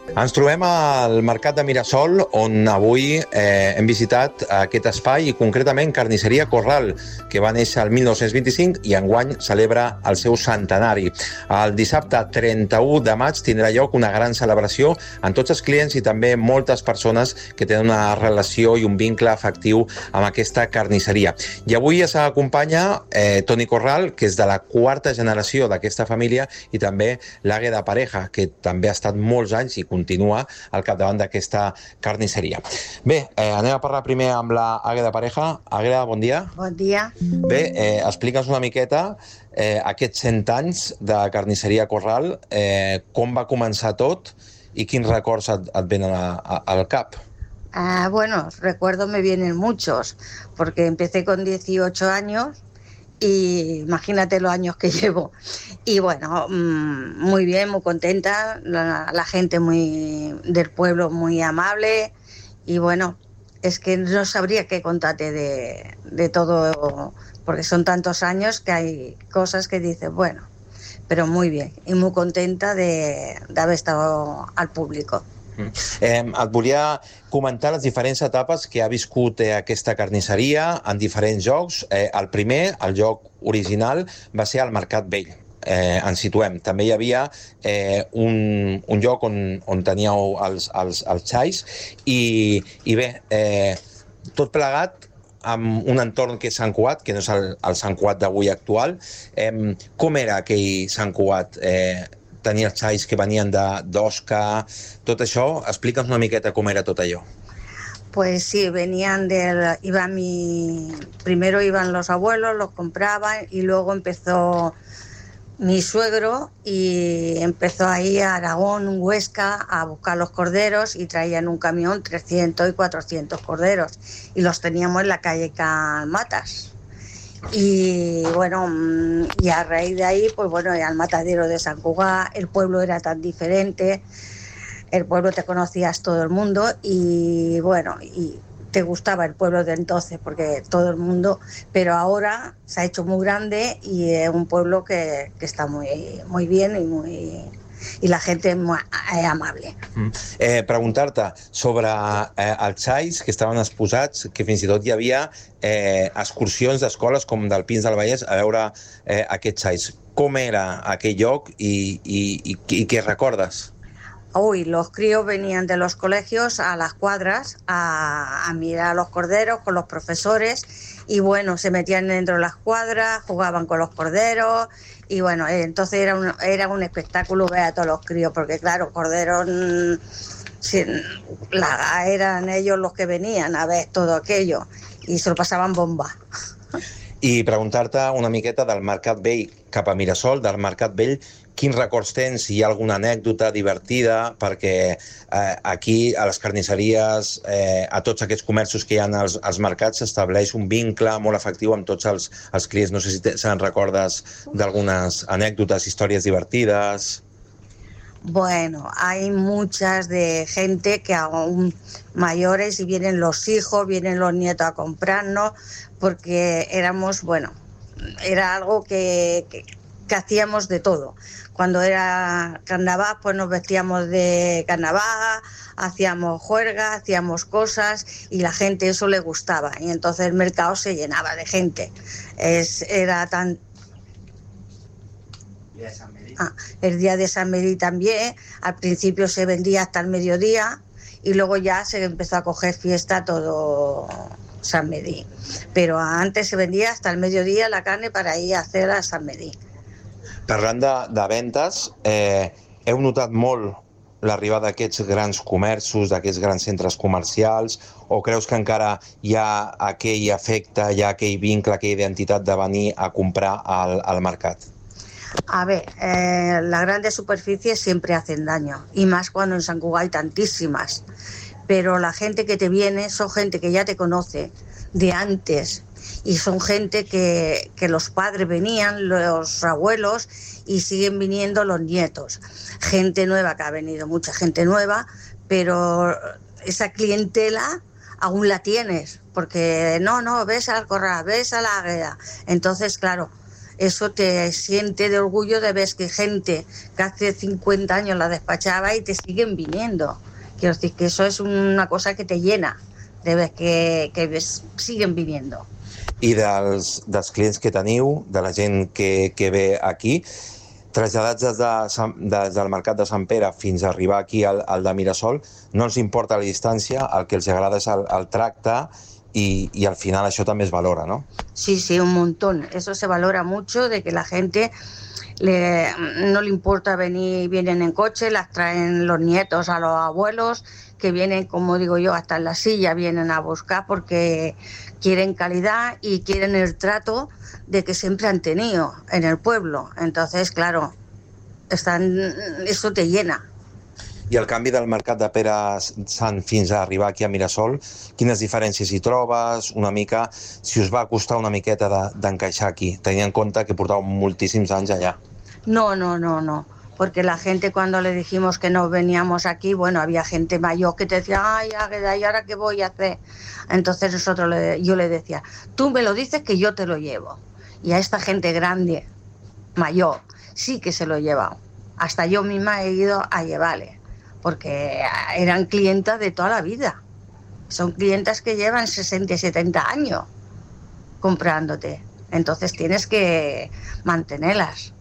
Ens trobem al mercat de Mirasol, on avui eh, hem visitat aquest espai i concretament Carnisseria Corral, que va néixer el mil nou-cents vint-i-cinc i enguany celebra el seu centenari. El dissabte trenta-u de maig tindrà lloc una gran celebració amb tots els clients i també moltes persones que tenen una relació i un vincle afectiu amb aquesta carnisseria. I avui es acompanya eh, Toni Corral, que és de la quarta generació d'aquesta família, i també l'Àgueda Pareja, que també ha estat molts anys i continua al capdavant d'aquesta carnisseria. Bé, eh, anem a parlar primer amb la Àgueda Pareja. Àgueda, bon dia. Bon dia. Bé, eh, explica'ns una miqueta eh, aquests cent anys de carnisseria Corral, eh, com va començar tot i quins records et, et venen a, a, al cap. Ah, bueno, recuerdos me vienen muchos, porque empecé con dieciocho años y imagínate los años que llevo. Y bueno, mmm, muy bien, muy contenta, la, la gente muy del pueblo muy amable y bueno, es que no sabría qué contarte de, de todo, porque son tantos años que hay cosas que dices, bueno, pero muy bien, y muy contenta de, de haber estado al público. Eh, et volia comentar les diferents etapes que ha viscut eh, aquesta carnisseria en diferents jocs. Eh, el primer, el joc original, va ser al Mercat Vell. Eh, ens situem. També hi havia eh, un, un lloc on, on teníeu els, els, els xais i, i bé, eh, tot plegat amb un entorn que és Sant Cugat, que no és el, el Sant Cugat d'avui actual. Eh, com era aquell Sant Cugat? Eh, tenia els xais que venien d'Osca, tot això. Explica'ns una miqueta com era tot allò. Pues sí, venían del... Iba mi, primero iban los abuelos, los compraban y luego empezó mi suegro y empezó ahí a Aragón, Huesca, a buscar los corderos y traían un camión trescientos y cuatrocientos corderos y los teníamos en la calle Calmatas. Y bueno, y a raíz de ahí, pues bueno, al matadero de Sant Cugat, el pueblo era tan diferente, el pueblo te conocías todo el mundo y bueno, y te gustaba el pueblo de entonces porque todo el mundo, pero ahora se ha hecho muy grande y es un pueblo que, que está muy, muy bien y muy... i la gent és amable. Mm. Eh, Preguntar-te sobre eh, els xais que estaven exposats, que fins i tot hi havia eh, excursions d'escoles com del Pins del Vallès a veure eh, aquests xais. Com era aquell lloc i, i, i, i què recordes? Uy, los críos venían de los colegios a las cuadras a, a mirar a los corderos con los profesores y bueno, se metían dentro de las cuadras, jugaban con los corderos y bueno, entonces era un, era un espectáculo ver a todos los críos porque claro, corderos sin, la, eran ellos los que venían a ver todo aquello y se lo pasaban bomba. I preguntar-te una miqueta del Mercat Vell cap a Mirasol, del Mercat Vell, quins records tens, si hi ha alguna anècdota divertida, perquè eh, aquí a les carnisseries, eh, a tots aquests comerços que hi ha als, als mercats, s'estableix un vincle molt efectiu amb tots els, els clients. No sé si se'n recordes d'algunes anècdotes, històries divertides... Bueno, hay muchas de gente que aún mayores y vienen los hijos, vienen los nietos a comprarnos, porque éramos, bueno, era algo que, que, que hacíamos de todo. Cuando era carnaval, pues nos vestíamos de carnaval, hacíamos juergas, hacíamos cosas y la gente eso le gustaba. Y entonces el mercado se llenaba de gente. Es, era tan... Ah, el día de San Medí también, al principio se vendía hasta el mediodía y luego ya se empezó a coger fiesta todo San Medí. Pero antes se vendía hasta el mediodía la carne para ir a hacer a San Medí. Parlant de, de ventes, eh, heu notat molt l'arribada d'aquests grans comerços, d'aquests grans centres comercials, o creus que encara hi ha aquell efecte, hi ha aquell vincle, aquella identitat de venir a comprar al, al mercat? A ver, eh, las grandes superficies siempre hacen daño, y más cuando en Sant Cugat hay tantísimas. Pero la gente que te viene son gente que ya te conoce de antes, y son gente que, que los padres venían, los abuelos, y siguen viniendo los nietos. Gente nueva que ha venido, mucha gente nueva, pero esa clientela aún la tienes, porque no, no, ves al corral, ves a la águeda. Entonces, claro, eso te siente de orgullo de ver que gente que hace cincuenta años la despachaba y te siguen viniendo. Quiero decir que eso es una cosa que te llena, de ver que, que ves, siguen viniendo. I dels, dels clients que teniu, de la gent que, que ve aquí, traslladats des, de, des del mercat de Sant Pere fins a arribar aquí al, al de Mirasol, no els importa la distància, el que els agrada és el, el tracte y, y al final això també es valora, ¿no? Sí, sí, un montón. Eso se valora mucho, de que la gente le, no le importa venir, vienen en coche, las traen los nietos a los abuelos, que vienen, como digo yo, hasta en la silla vienen a buscar porque quieren calidad y quieren el trato de que siempre han tenido en el pueblo. Entonces, claro, están, eso te llena. I el canvi del mercat de Pere Sant fins a arribar aquí a Mirasol, quines diferències hi trobes? Una mica, si us va costar una miqueta d'encaixar aquí, tenint en compte que portàveu moltíssims anys allà. No, no, no, no. porque la gente cuando le dijimos que no veníamos aquí, bueno, había gente mayor que te decía, ay, Águeda, ¿y ahora qué voy a hacer? Entonces nosotros le, yo le decía, tú me lo dices que yo te lo llevo. Y a esta gente grande, mayor, sí que se lo he llevado. Hasta yo misma he ido a llevarle, porque eran clientas de toda la vida. Son clientas que llevan sesenta y setenta años comprándote. Entonces tienes que mantenerlas.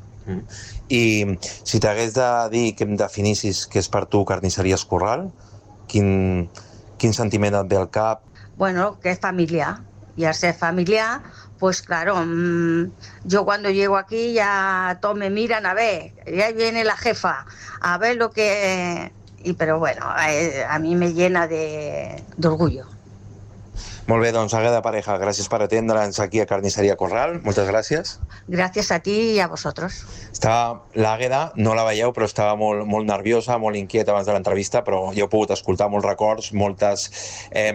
I si t'hagués de dir que em definissis què és per tu Carnisseries Corral, quin, quin sentiment et ve al cap? Bueno, que es familiar. Y al ser familiar, pues claro, mmm, yo cuando llego aquí ya todos me miran a ver, ya viene la jefa, a ver lo que... Y, pero bueno, eh, a mí me llena de, de orgullo. Molt bé, doncs Águeda Pareja, gràcies per atendre'ns aquí a Carnisseria Corral, moltes gràcies. Gracias a ti y a vosotros. Estava l'Àgueda, no la veieu, però estava molt, molt nerviosa, molt inquieta abans de l'entrevista, però jo he pogut escoltar molts records, moltes, eh,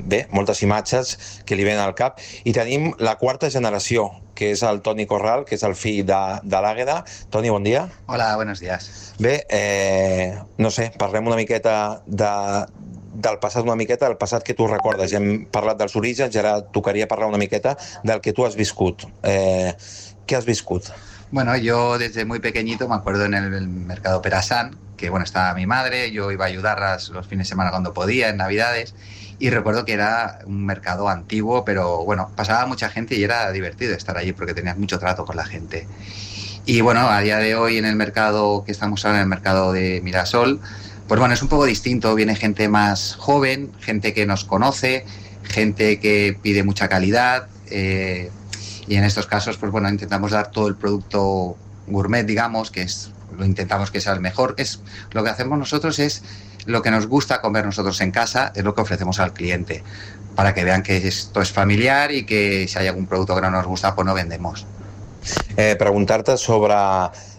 bé, moltes imatges que li venen al cap. I tenim la quarta generació, que és el Toni Corral, que és el fill de, de l'Àgueda. Toni, bon dia. Hola, buenos días. Bé, eh, no sé, parlem una miqueta de... del passat una miqueta, del passat que tu recordes. Ja hem parlat dels orígens i ara tocaria parlar una miqueta del que tu has viscut. Eh, ¿Qué has viscut? Bueno, yo desde muy pequeñito me acuerdo en el, el mercado Perasan, que bueno, estaba mi madre, yo iba a ayudarlas los fines de semana cuando podía, en Navidades, y recuerdo que era un mercado antiguo, pero bueno, pasaba mucha gente y era divertido estar allí porque tenías mucho trato con la gente. Y bueno, a día de hoy en el mercado que estamos ahora, en el mercado de Mirasol, pues bueno, es un poco distinto, viene gente más joven, gente que nos conoce, gente que pide mucha calidad, eh, y en estos casos, pues bueno, intentamos dar todo el producto gourmet, digamos, que es, lo intentamos que sea el mejor. Es, lo que hacemos nosotros es lo que nos gusta comer nosotros en casa, es lo que ofrecemos al cliente, para que vean que esto es familiar y que si hay algún producto que no nos gusta, pues no vendemos. Eh, preguntar-te sobre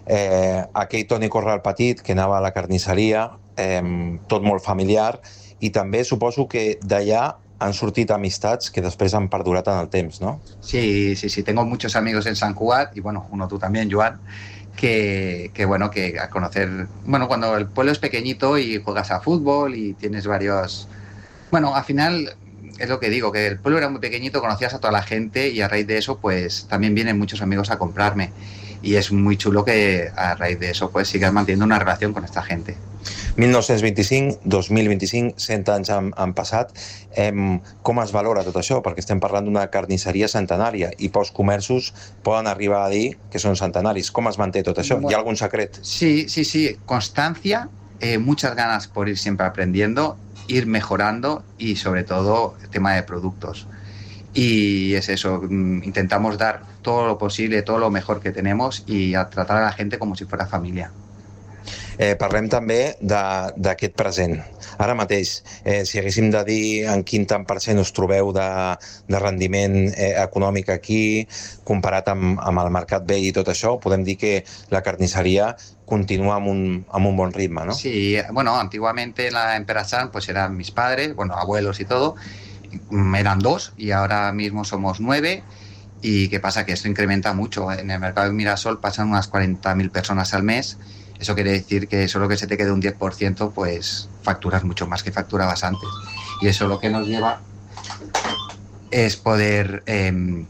eh, aquell Toni Corral petit que anava a la carnisseria, eh, tot molt familiar, i també suposo que d'allà han sortit amistats que després han perdurat en el temps, ¿no? Sí, sí, sí, tengo muchos amigos en Sant Cugat, y bueno, uno tú también, Joan, que, que bueno, que a conocer, bueno, cuando el pueblo es pequeñito y juegas a fútbol y tienes varios, bueno, al final es lo que digo, que el pueblo era muy pequeñito, conocías a toda la gente y a raíz de eso pues también vienen muchos amigos a comprarme y es muy chulo que a raíz de eso pues sigas manteniendo una relación con esta gente. mil nou-cents vint-i-cinc, dos mil vint-i-cinc, cent anys han, han passat. Eh, com es valora tot això? Perquè estem parlant d'una carnisseria centenària i pocs comerços poden arribar a dir que són centenaris. Com es manté tot això? Bueno, ¿hi ha algun secret? Sí, sí, sí. Constancia, eh, muchas ganas por ir siempre aprendiendo, ir mejorando y sobre todo el tema de productos. Y es eso, intentamos dar todo lo posible, todo lo mejor que tenemos y a tratar a la gente como si fuera familia. Eh, parlem també d'aquest present. Ara mateix, eh, si haguéssim de dir en quin tant per cent us trobeu de, de rendiment eh, econòmic aquí, comparat amb, amb el mercat vell i tot això, podem dir que la carnisseria continúa amb un, amb un bon ritme, ¿no? Sí, bueno, antiguamente en la Perasan pues eran mis padres, bueno, abuelos y todo, eran dos y ahora mismo somos nueve. ¿Y qué pasa? Que esto incrementa mucho. En el mercado de Mirasol pasan unas cuarenta mil personas al mes. Eso quiere decir que solo que se te quede un diez por ciento, pues facturas mucho más que facturabas antes. Y eso lo que nos lleva es poder eh,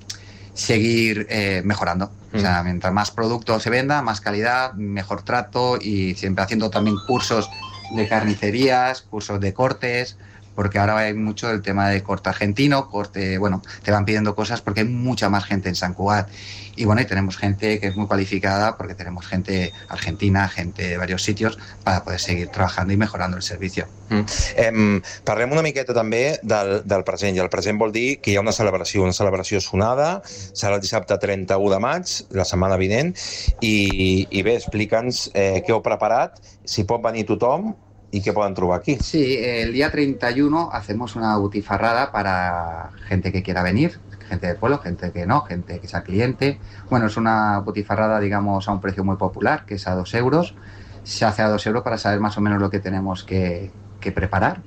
seguir eh, mejorando. Mm. O sea, mientras más producto se venda, más calidad, mejor trato y siempre haciendo también cursos de carnicerías, cursos de cortes, porque ahora hay mucho el tema de corte argentino, corte, bueno, te van pidiendo cosas porque hay mucha más gente en Sant Cugat. Y bueno, y tenemos gente que es muy cualificada porque tenemos gente argentina, gente de varios sitios para poder seguir trabajando y mejorando el servicio. Mm. Eh, parlem una miqueta també del, del present, i el present vol dir que hi ha una celebració, una celebració sonada, serà el dissabte trenta-u de maig, la setmana vinent, i, i bé, explica'ns eh, què heu preparat, si pot venir tothom, ¿y qué puedan trobar aquí? Sí, el día treinta y uno hacemos una butifarrada para gente que quiera venir, gente del pueblo, gente que no, gente que sea cliente. Bueno, es una butifarrada, digamos, a un precio muy popular, que es a dos euros. Se hace a dos euros para saber más o menos lo que tenemos que, que preparar.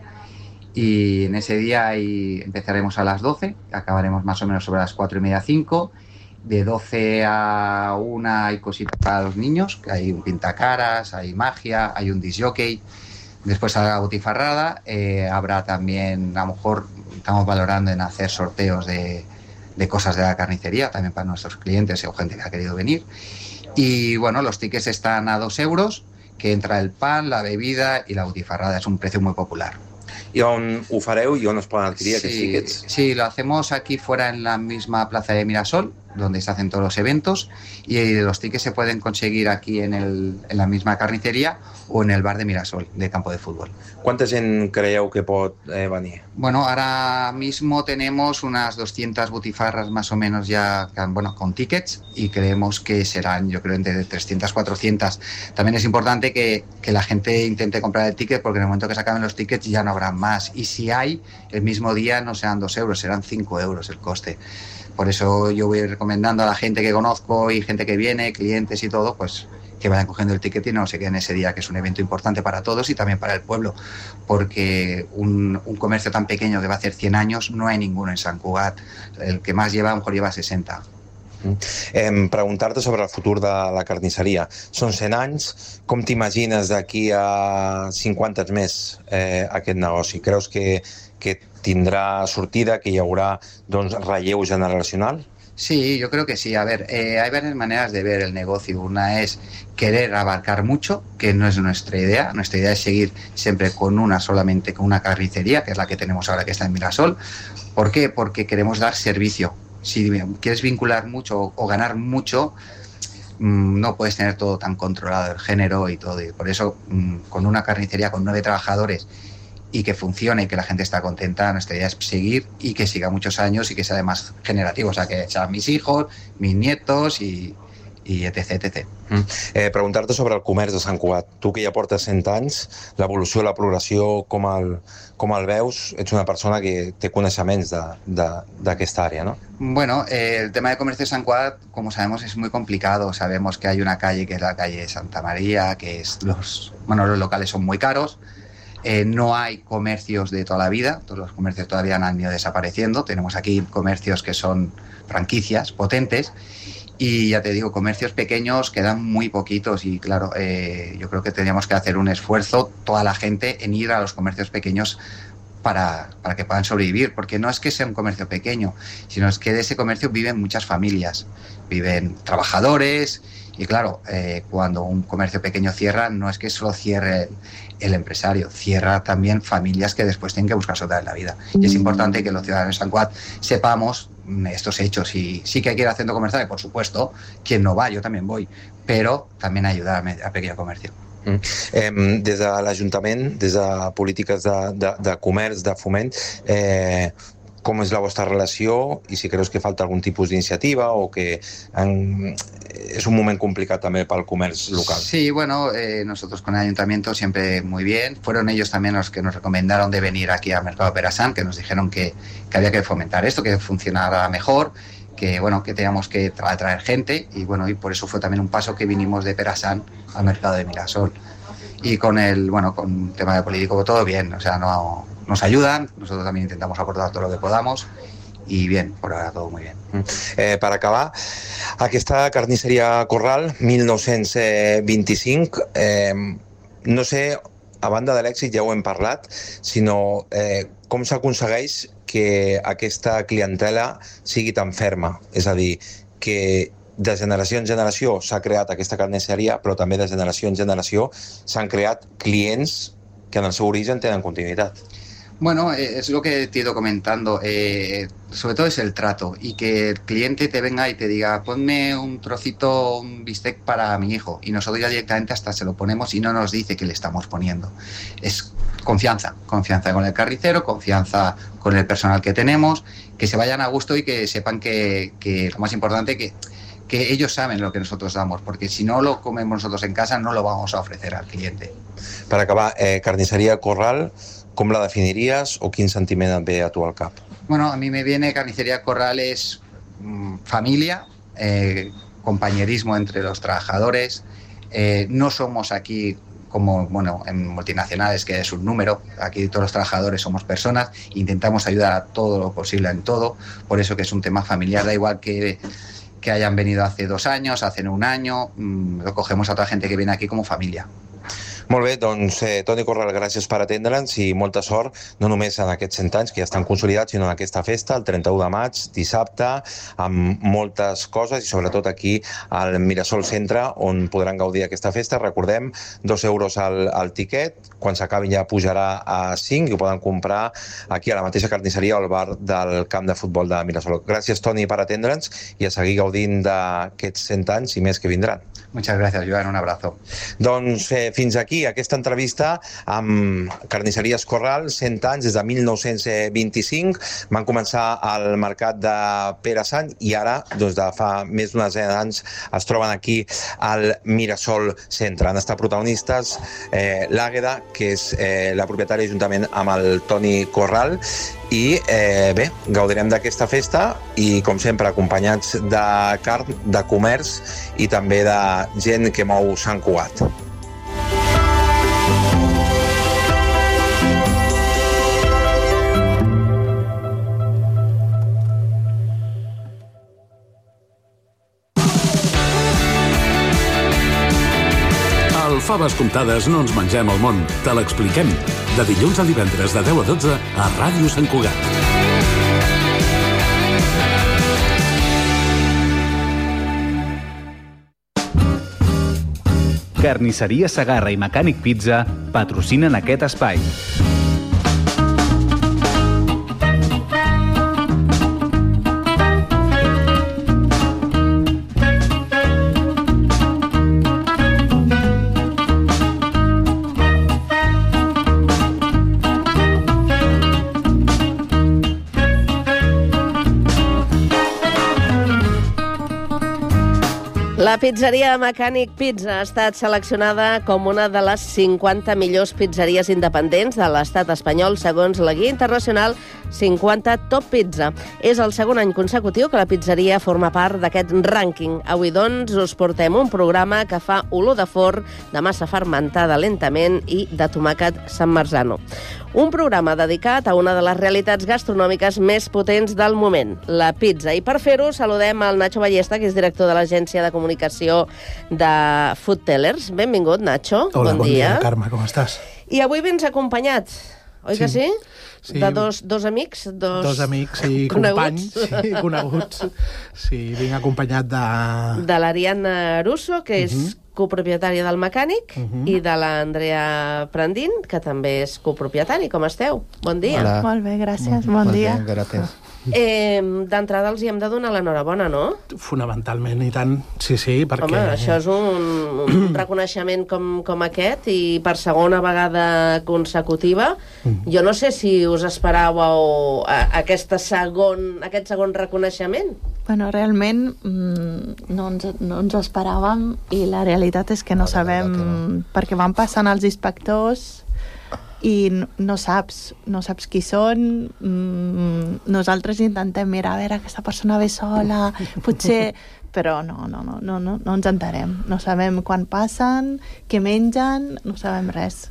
Y en ese día ahí empezaremos a las doce, acabaremos más o menos sobre las cuatro y media, cinco. de doce a una hay cositas para los niños, que hay un pintacaras, hay magia, hay un disc jockey. Después a la botifarrada eh, habrá también, a lo mejor estamos valorando en hacer sorteos de, de cosas de la carnicería, también para nuestros clientes o gente que ha querido venir. Y bueno, los tickets están a dos euros, que entra el pan, la bebida y la botifarrada. Es un precio muy popular. ¿Y on ho fareu i on es poden adquirir sí, aquests tickets? Sí, lo hacemos aquí fuera en la misma plaza de Mirasol, donde se hacen todos los eventos, y los tickets se pueden conseguir aquí en, el, en la misma carnicería o en el bar de Mirasol, de campo de fútbol. Quanta gent creieu que pot eh, venir? Bueno, ahora mismo tenemos unas doscientas butifarras más o menos ya, bueno, con tickets, y creemos que serán, yo creo, entre trescientas, cuatrocientas. También es importante que, que la gente intente comprar el ticket, porque en el momento que se acaben los tickets ya no habrá más. Y si hay, el mismo día no serán dos euros, serán cinco euros el coste. Por eso yo voy recomendando a la gente que conozco y gente que viene, clientes y todo, pues que vayan cogiendo el ticket y no se queden ese día, que es un evento importante para todos y también para el pueblo, porque un, un comercio tan pequeño que va a hacer cien años no hay ninguno en Sant Cugat. El que más lleva a lo mejor lleva sesenta. Eh, preguntar-te sobre el futur de la carnisseria. Són cent anys, com t'imagines d'aquí a cinquanta anys més eh, aquest negoci? Creus que, que tindrà sortida, que hi haurà doncs, relleu generacional? Sí, yo creo que sí. A ver, eh, hay varias maneras de ver el negocio. Una es querer abarcar mucho, que no es nuestra idea. Nuestra idea es seguir siempre con una, solamente con una carnicería, que es la que tenemos ahora, que está en Mirasol. ¿Por qué? Porque queremos dar servicio. Si quieres vincular mucho o ganar mucho, no puedes tener todo tan controlado, el género y todo. Y por eso, con una carnicería con nueve trabajadores y que funcione y que la gente está contenta, nuestra idea es seguir y que siga muchos años y que sea además generativo. O sea, que sean mis hijos, mis nietos y, i etc etcètera. Mm. Eh, Preguntar-te sobre el comerç de Sant Cugat. Tu que ja portes cent anys, l'evolució, la progressió, com el, com el veus? Ets una persona que té coneixements d'aquesta àrea, ¿no? Bueno, eh, el tema de comercio de Sant Cugat, como sabemos, es muy complicado. Sabemos que hay una calle que es la calle Santa María, que es los, bueno, los locales son muy caros. Eh, no hay comercios de toda la vida, todos los comercios todavía han ido desapareciendo. Tenemos aquí comercios que son franquicias potentes y ya te digo, comercios pequeños quedan muy poquitos y claro, eh, yo creo que tendríamos que hacer un esfuerzo toda la gente en ir a los comercios pequeños para, para que puedan sobrevivir, porque no es que sea un comercio pequeño, sino es que de ese comercio viven muchas familias, viven trabajadores. Y claro, eh, cuando un comercio pequeño cierra, no es que solo cierre el, el empresario, cierra también familias que después tienen que buscarse otra vez la vida. Y es importante que los ciudadanos de Sant Cugat sepamos estos hechos. Y sí que hay que ir al centro comercial, por supuesto, quien no va, yo también voy, pero también ayudar a pequeño comercio. Mm. Eh, des de l'Ajuntament, des de polítiques de, de, de comerç, de foment, eh, com és la vostra relació i si creus que falta algun tipus d'iniciativa o que en, es un moment complicat també pel comerç local. Sí, bueno, eh, nosotros con el ayuntamiento siempre muy bien. Fueron ellos también los que nos recomendaron de venir aquí al Mercado Perasan, que nos dijeron que, que había que fomentar esto, que funcionara mejor, que bueno, que teníamos que tra- atraer gente y bueno, y por eso fue también un paso que vinimos de Perasan al Mercado de Mirasol. Y con el, bueno, con el tema de político todo bien, o sea, no, nos ayudan, nosotros también intentamos aportar todo lo que podamos y bien, por ahora todo muy bien. Eh, per acabar, aquesta carnisseria Corral, mil nou-cents vint-i-cinc, eh, no sé, a banda de l'èxit ja ho hem parlat, sinó eh, com s'aconsegueix que aquesta clientela sigui tan ferma, és a dir, que de generació en generació s'ha creat aquesta carnisseria, però també de generació en generació s'han creat clients que en el seu origen tenen continuïtat. Bueno, eh, es lo que te he ido comentando, eh, sobre todo es el trato y que el cliente te venga y te diga ponme un trocito, un bistec para mi hijo y nosotros ya directamente hasta se lo ponemos y no nos dice que le estamos poniendo. Es confianza, confianza con el carnicero, confianza con el personal que tenemos, que se vayan a gusto y que sepan que, que lo más importante que que ellos saben lo que nosotros damos, porque si no lo comemos nosotros en casa no lo vamos a ofrecer al cliente. Per acabar, eh, carnisseria Corral, com la definiries o quin sentiment et ve a tu al cap? Bueno, a mí me viene carnicería Corral es mmm, familia, eh, compañerismo entre los trabajadores, eh, no somos aquí como bueno en multinacionales que es un número, aquí todos los trabajadores somos personas, intentamos ayudar a todo lo posible en todo, por eso que es un tema familiar, da igual que que hayan venido hace dos años, hace un año, mmm, lo cogemos a otra gente que viene aquí como familia. Molt bé, doncs, eh, Toni Corral, gràcies per atendre'ns i molta sort, no només en aquests cent anys que ja estan consolidats, sinó en aquesta festa, el trenta-u de maig, dissabte, amb moltes coses i sobretot aquí al Mirasol Centre, on podran gaudir aquesta festa. Recordem, dos euros al, al tiquet, quan s'acabin ja pujarà a cinc i ho poden comprar aquí a la mateixa carnisseria o al bar del camp de futbol de Mirasol. Gràcies, Toni, per atendre'ns i a seguir gaudint d'aquests cent anys i més que vindran. Muchas gracias, Joan, un abrazo. Doncs eh, fins aquí aquesta entrevista amb Carnisseries Corral, cent anys, des de mil nou-cents vint-i-cinc. Van començar al mercat de Pere Sant i ara, doncs de fa més d'una desena d'anys, es troben aquí al Mirasol Centre. Han estat protagonistes eh, l'Àgueda, que és eh, la propietària, juntament amb el Toni Corral, i eh, bé, gaudirem d'aquesta festa i, com sempre, acompanyats de carn, de comerç i també de gent que mou Sant Cugat. Al Faves Comptades no ens mengem el món, te l'expliquem. De dilluns a divendres de deu a dotze a Ràdio Sant Cugat. Carnisseria Segarra i Mecànic Pizza patrocinen aquest espai. La pizzeria Mecànic Pizza ha estat seleccionada com una de les cinquanta millors pizzeries independents de l'estat espanyol segons la guia internacional cinquanta Top Pizza. És el segon any consecutiu que la pizzeria forma part d'aquest rànquing. Avui, doncs, us portem un programa que fa olor de forn, de massa fermentada lentament i de tomàquet San Marzano. Un programa dedicat a una de les realitats gastronòmiques més potents del moment, la pizza. I per fer-ho saludem al Nacho Ballesta, que és director de l'agència de comunicació de Food Tellers. Benvingut, Nacho. Hola, bon, bon dia. dia, Carme, com estàs? I avui vens acompanyat, oi sí. que sí? Sí. De dos, dos amics? Dos, dos amics i coneguts. companys, sí, coneguts. Sí, vinc acompanyat de... De l'Ariadna Russo, que és uh -huh. copropietària del Mecànic, uh -huh. i de l'Andrea Prandín, que també és copropietari. Com esteu? Bon dia. Hola. Molt bé, gràcies. Bon, bon dia. dia. Gràcies. Eh, D'entrada els hi hem de donar l'enhorabona, no? Fonamentalment, i tant. Sí, sí, perquè... Home, això és un, un reconeixement com, com aquest, i per segona vegada consecutiva. Mm. Jo no sé si us esperàveu aquesta segon, aquest segon reconeixement. Bueno, realment mm, no, ens, no ens ho esperàvem, i la realitat és que no sabem, que no. perquè van passant els inspectors i no, no saps, no saps qui són. Mm, nosaltres intentem mirar, a veure, aquesta persona ve sola, potser... Però no, no, no, no, no, no ens enterem. No sabem quan passen, què mengen, no sabem res.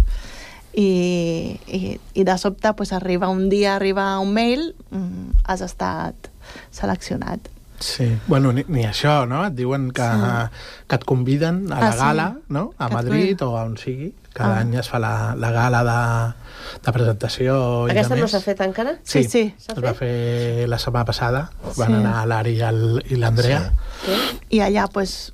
I, i, i de sobte pues, arriba un dia, arriba un mail, mm, has estat seleccionat. Sí, bueno, ni, ni això, no? Et diuen que, sí. que et conviden a la ah, gala, sí. no? A que Madrid o a on sigui. Cada ah. any es fa la, la gala de, de presentació. Aquesta i no s'ha fet encara? Sí, sí. sí. Es va fer la setmana passada. Van sí. anar l'Ari i l'Andrea. Sí. Sí. I allà, pues...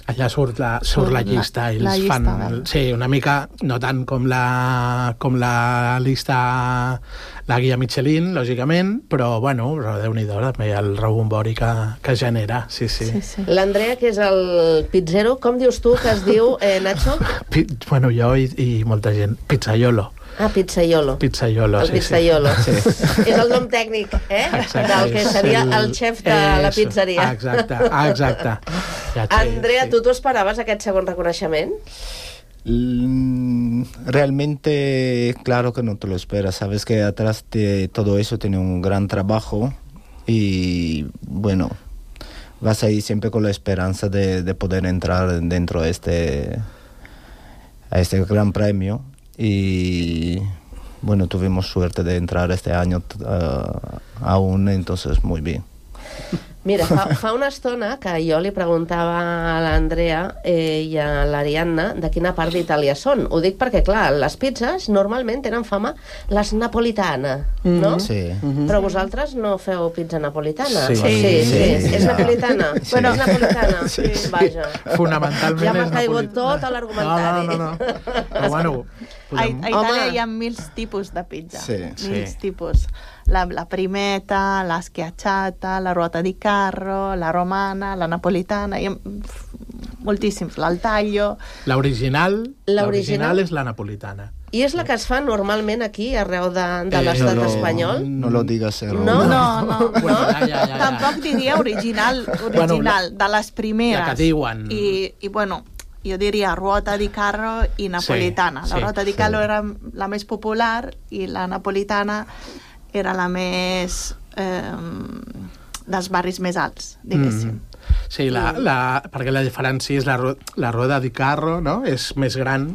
Allà surt la, surt la llista la, i els la llista, fan... Bé. Sí, una mica, no tant com la, com la llista, la guia Michelin, lògicament, però, bueno, Déu-n'hi-do, també el rebombori que, que genera, sí, sí. sí, sí. L'Andrea, que és el pizzero, com dius tu que es diu, eh, Nacho? Pi, bueno, jo i, i molta gent, pizzaiolo. Ah, pizzaiolo. Pizzaiolo, el sí, pizzaiolo. Sí. És el nom tècnic, eh? Exacte, del que seria el, el xef de és, la pizzeria. Exacte, exacte. Ja Andrea, sí. tu t'ho esperaves, aquest segon reconeixement? Realmente, claro que no te lo esperas. Sabes que atrás de todo eso tiene un gran trabajo y, bueno, vas ahí siempre con la esperanza de, de poder entrar dentro de este, a este gran premio. Y bueno, tuvimos suerte de entrar este año uh, aún, entonces muy bien. Mira, fa, fa una estona que jo li preguntava a l'Andrea eh, i a l'Ariadna de quina part d'Itàlia són. Ho dic perquè, clar, les pizzas normalment tenen fama les napolitana, no? Mm-hmm. Sí. Mm-hmm. Però vosaltres no feu pizza napolitana? Sí. Sí, sí. sí. sí. És napolitana? Sí. Bueno, és napolitana? Sí. Vaja. Fonamentalment ja m'ha és caigut napolitana. tot a l'argumentari. No, no, no. no. Però bueno... A, a Itàlia Home. hi ha mil tipus de pizza. Sí. Mil Sí. tipus. La, la primeta, la schiacciata, la ruota di carro, la romana, la napolitana, hi ha moltíssims. L'al taglio... L'original? L'original l'original és la napolitana. I és la que es fa normalment aquí, arreu de, de l'estat no, espanyol? No lo digas, Errol. No, No, no, Bueno, no. ja, ja, ja, ja. Tampoc diria original, original, de les primeres. La que diuen. I, i bueno, jo diria ruota di carro i napolitana. Sí, la sí, ruota di carro era la més popular i la napolitana era la més... Eh, dels barris més alts, diguéssim. Mm. Sí, la, la, perquè la diferència és la, ro- la roda di carro, no? És més gran,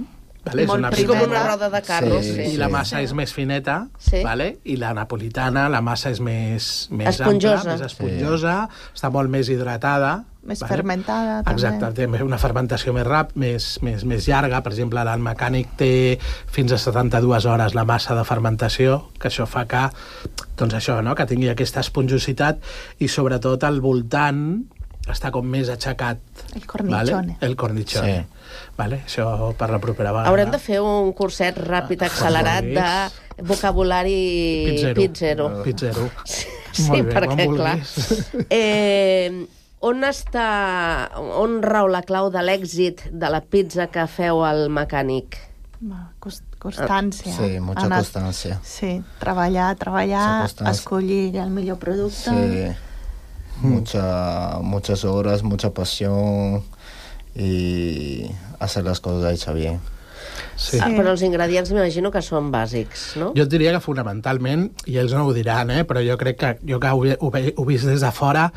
vale? És Molt una És com primera. una roda de carro, Sí, sí. I la massa és més fineta, Sí. vale? I la napolitana, la massa és més, més Esponjosa. ampla, més esponjosa, està molt més hidratada. Més fermentada, també. Exacte, té una fermentació més rap, més, més, més llarga. Per exemple, el mecànic té fins a setanta-dues hores la massa de fermentació, que això fa que, doncs això, no? Que tingui aquesta esponjositat i sobretot al voltant està com més aixecat. El cornicione. Vale? El cornicione. Sí. Vale? Això per la propera vegada. Haurem de fer un curset ràpid, accelerat de vocabulari Pizzero. pizzero. Pizzero. Sí, Molt bé, perquè, quan clar... vulguis. Eh, on està... On rau la clau de l'èxit de la pizza que feu al mecànic? Cost, constància. Sí, mucha Anar- constancia. Sí, treballar, treballar, Mucha constancia. escollir el millor producte. Sí. Mucha, muchas horas, mucha pasión y hacer las cosas hechas bien. Sí. Ah, però els ingredients m'imagino que són bàsics, no? Jo et diria que fonamentalment, i ells no ho diran, eh, però jo crec que jo que ho, he- ho, he- ho he vist des de fora,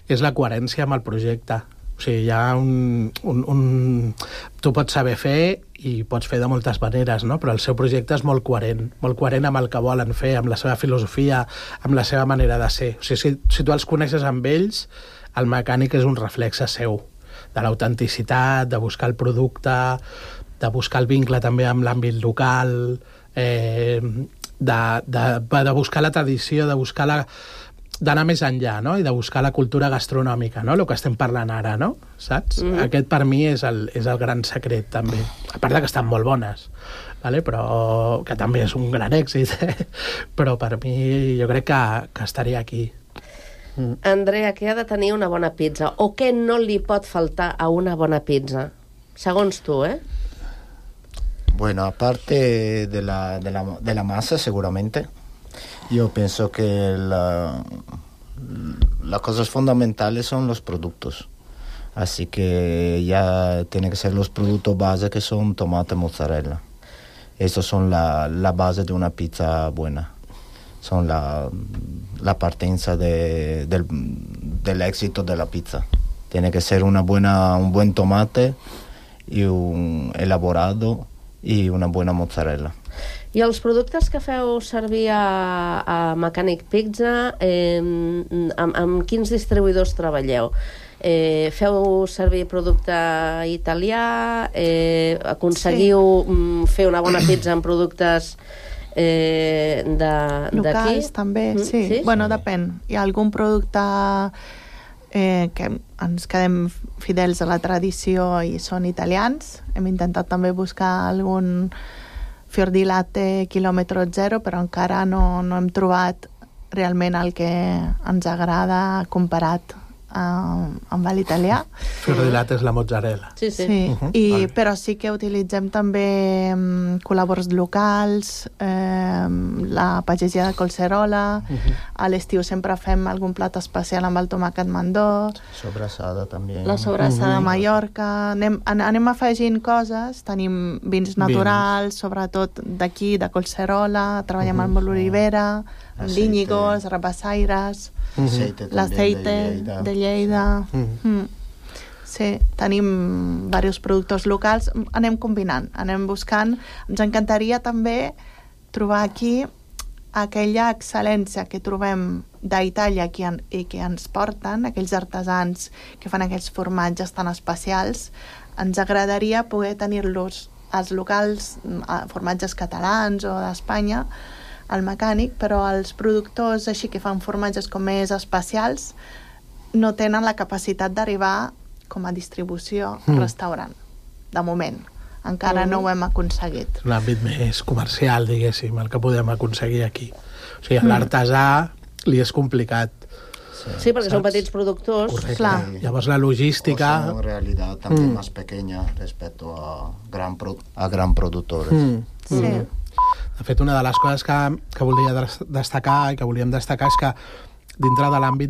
és la coherència amb el projecte. O sigui, hi ha un, un, un... Tu pots saber fer i pots fer de moltes maneres, no? Però el seu projecte és molt coherent, molt coherent amb el que volen fer, amb la seva filosofia, amb la seva manera de ser. O sigui, si, si tu els coneixes amb ells, el mecànic és un reflexe seu, de l'autenticitat, de buscar el producte, de buscar el vincle també amb l'àmbit local, eh, de, de, de buscar la tradició, de buscar la d'anar més enllà, no? I de buscar la cultura gastronòmica, no? El que estem parlant ara, no? Saps? Mm. Aquest per mi és el, és el gran secret, també. A part de que estan molt bones, vale? Però que també és un gran èxit, eh? Però per mi jo crec que, que estaria aquí. Mm. Andrea, què ha de tenir una bona pizza? O què no li pot faltar a una bona pizza? Segons tu, eh? Bueno, aparte de la, de la, de la masa, seguramente, yo pienso que la, las cosas fundamentales son los productos. Así que ya tienen que ser los productos base, que son tomate, mozzarella. Esos son la, la base de una pizza buena. Son la, la partenza de, del, del éxito de la pizza. Tiene que ser una buena, un buen tomate y un elaborado i una bona mozzarella. I els productes que feu servir a, a Mechanic Pizza, eh, amb, amb quins distribuïdors treballeu? Eh, feu servir producte italià? Eh, aconseguiu sí. fer una bona pizza amb productes eh, d'aquí? Locals, també, Mm, sí. sí. Bueno, depèn. Hi ha algun producte eh, que ens quedem fidels a la tradició i són italians. Hem intentat també buscar algun fior di latte quilòmetre zero, però encara no, no hem trobat realment el que ens agrada comparat uh, amb l'italià. Fior di latte és la mozzarella. Sí, sí. Sí. Uh-huh. I, Vale. però sí que utilitzem també um, col·labors locals, eh, la pagesia de Collserola, Uh-huh. a l'estiu sempre fem algun plat especial amb el tomàquet mandó, Sobrassada també. la sobrassada Uh-huh. de Mallorca, anem, an- anem afegint coses, tenim vins naturals, sobretot d'aquí, de Collserola, treballem Uh-huh. amb l'olivera, amb Aceite. l'íñigos, rabassaires, Aceite també l'aceite de Lleida. de Lleida. Uh-huh. Mm. Sí, tenim diversos productors locals, anem combinant, anem buscant. Ens encantaria també trobar aquí aquella excel·lència que trobem d'Itàlia i que ens porten, aquells artesans que fan aquells formatges tan especials, ens agradaria poder tenir-los als locals, formatges catalans o d'Espanya, al mecànic, però els productors així que fan formatges com més especials no tenen la capacitat d'arribar com a distribució al restaurant, de moment. Encara no ho hem aconseguit. L'àmbit més comercial, diguéssim, el que podem aconseguir aquí. O sigui, a l'artesà li és complicat. Sí, perquè són petits productors. Correcte. Clar. Llavors la logística... O sea, en realidad también mm. más pequeña respecto a gran, pro... a gran productores. Mm. Sí. Mm. De fet, una de les coses que, que volia destacar i que volíem destacar és que dintre de l'àmbit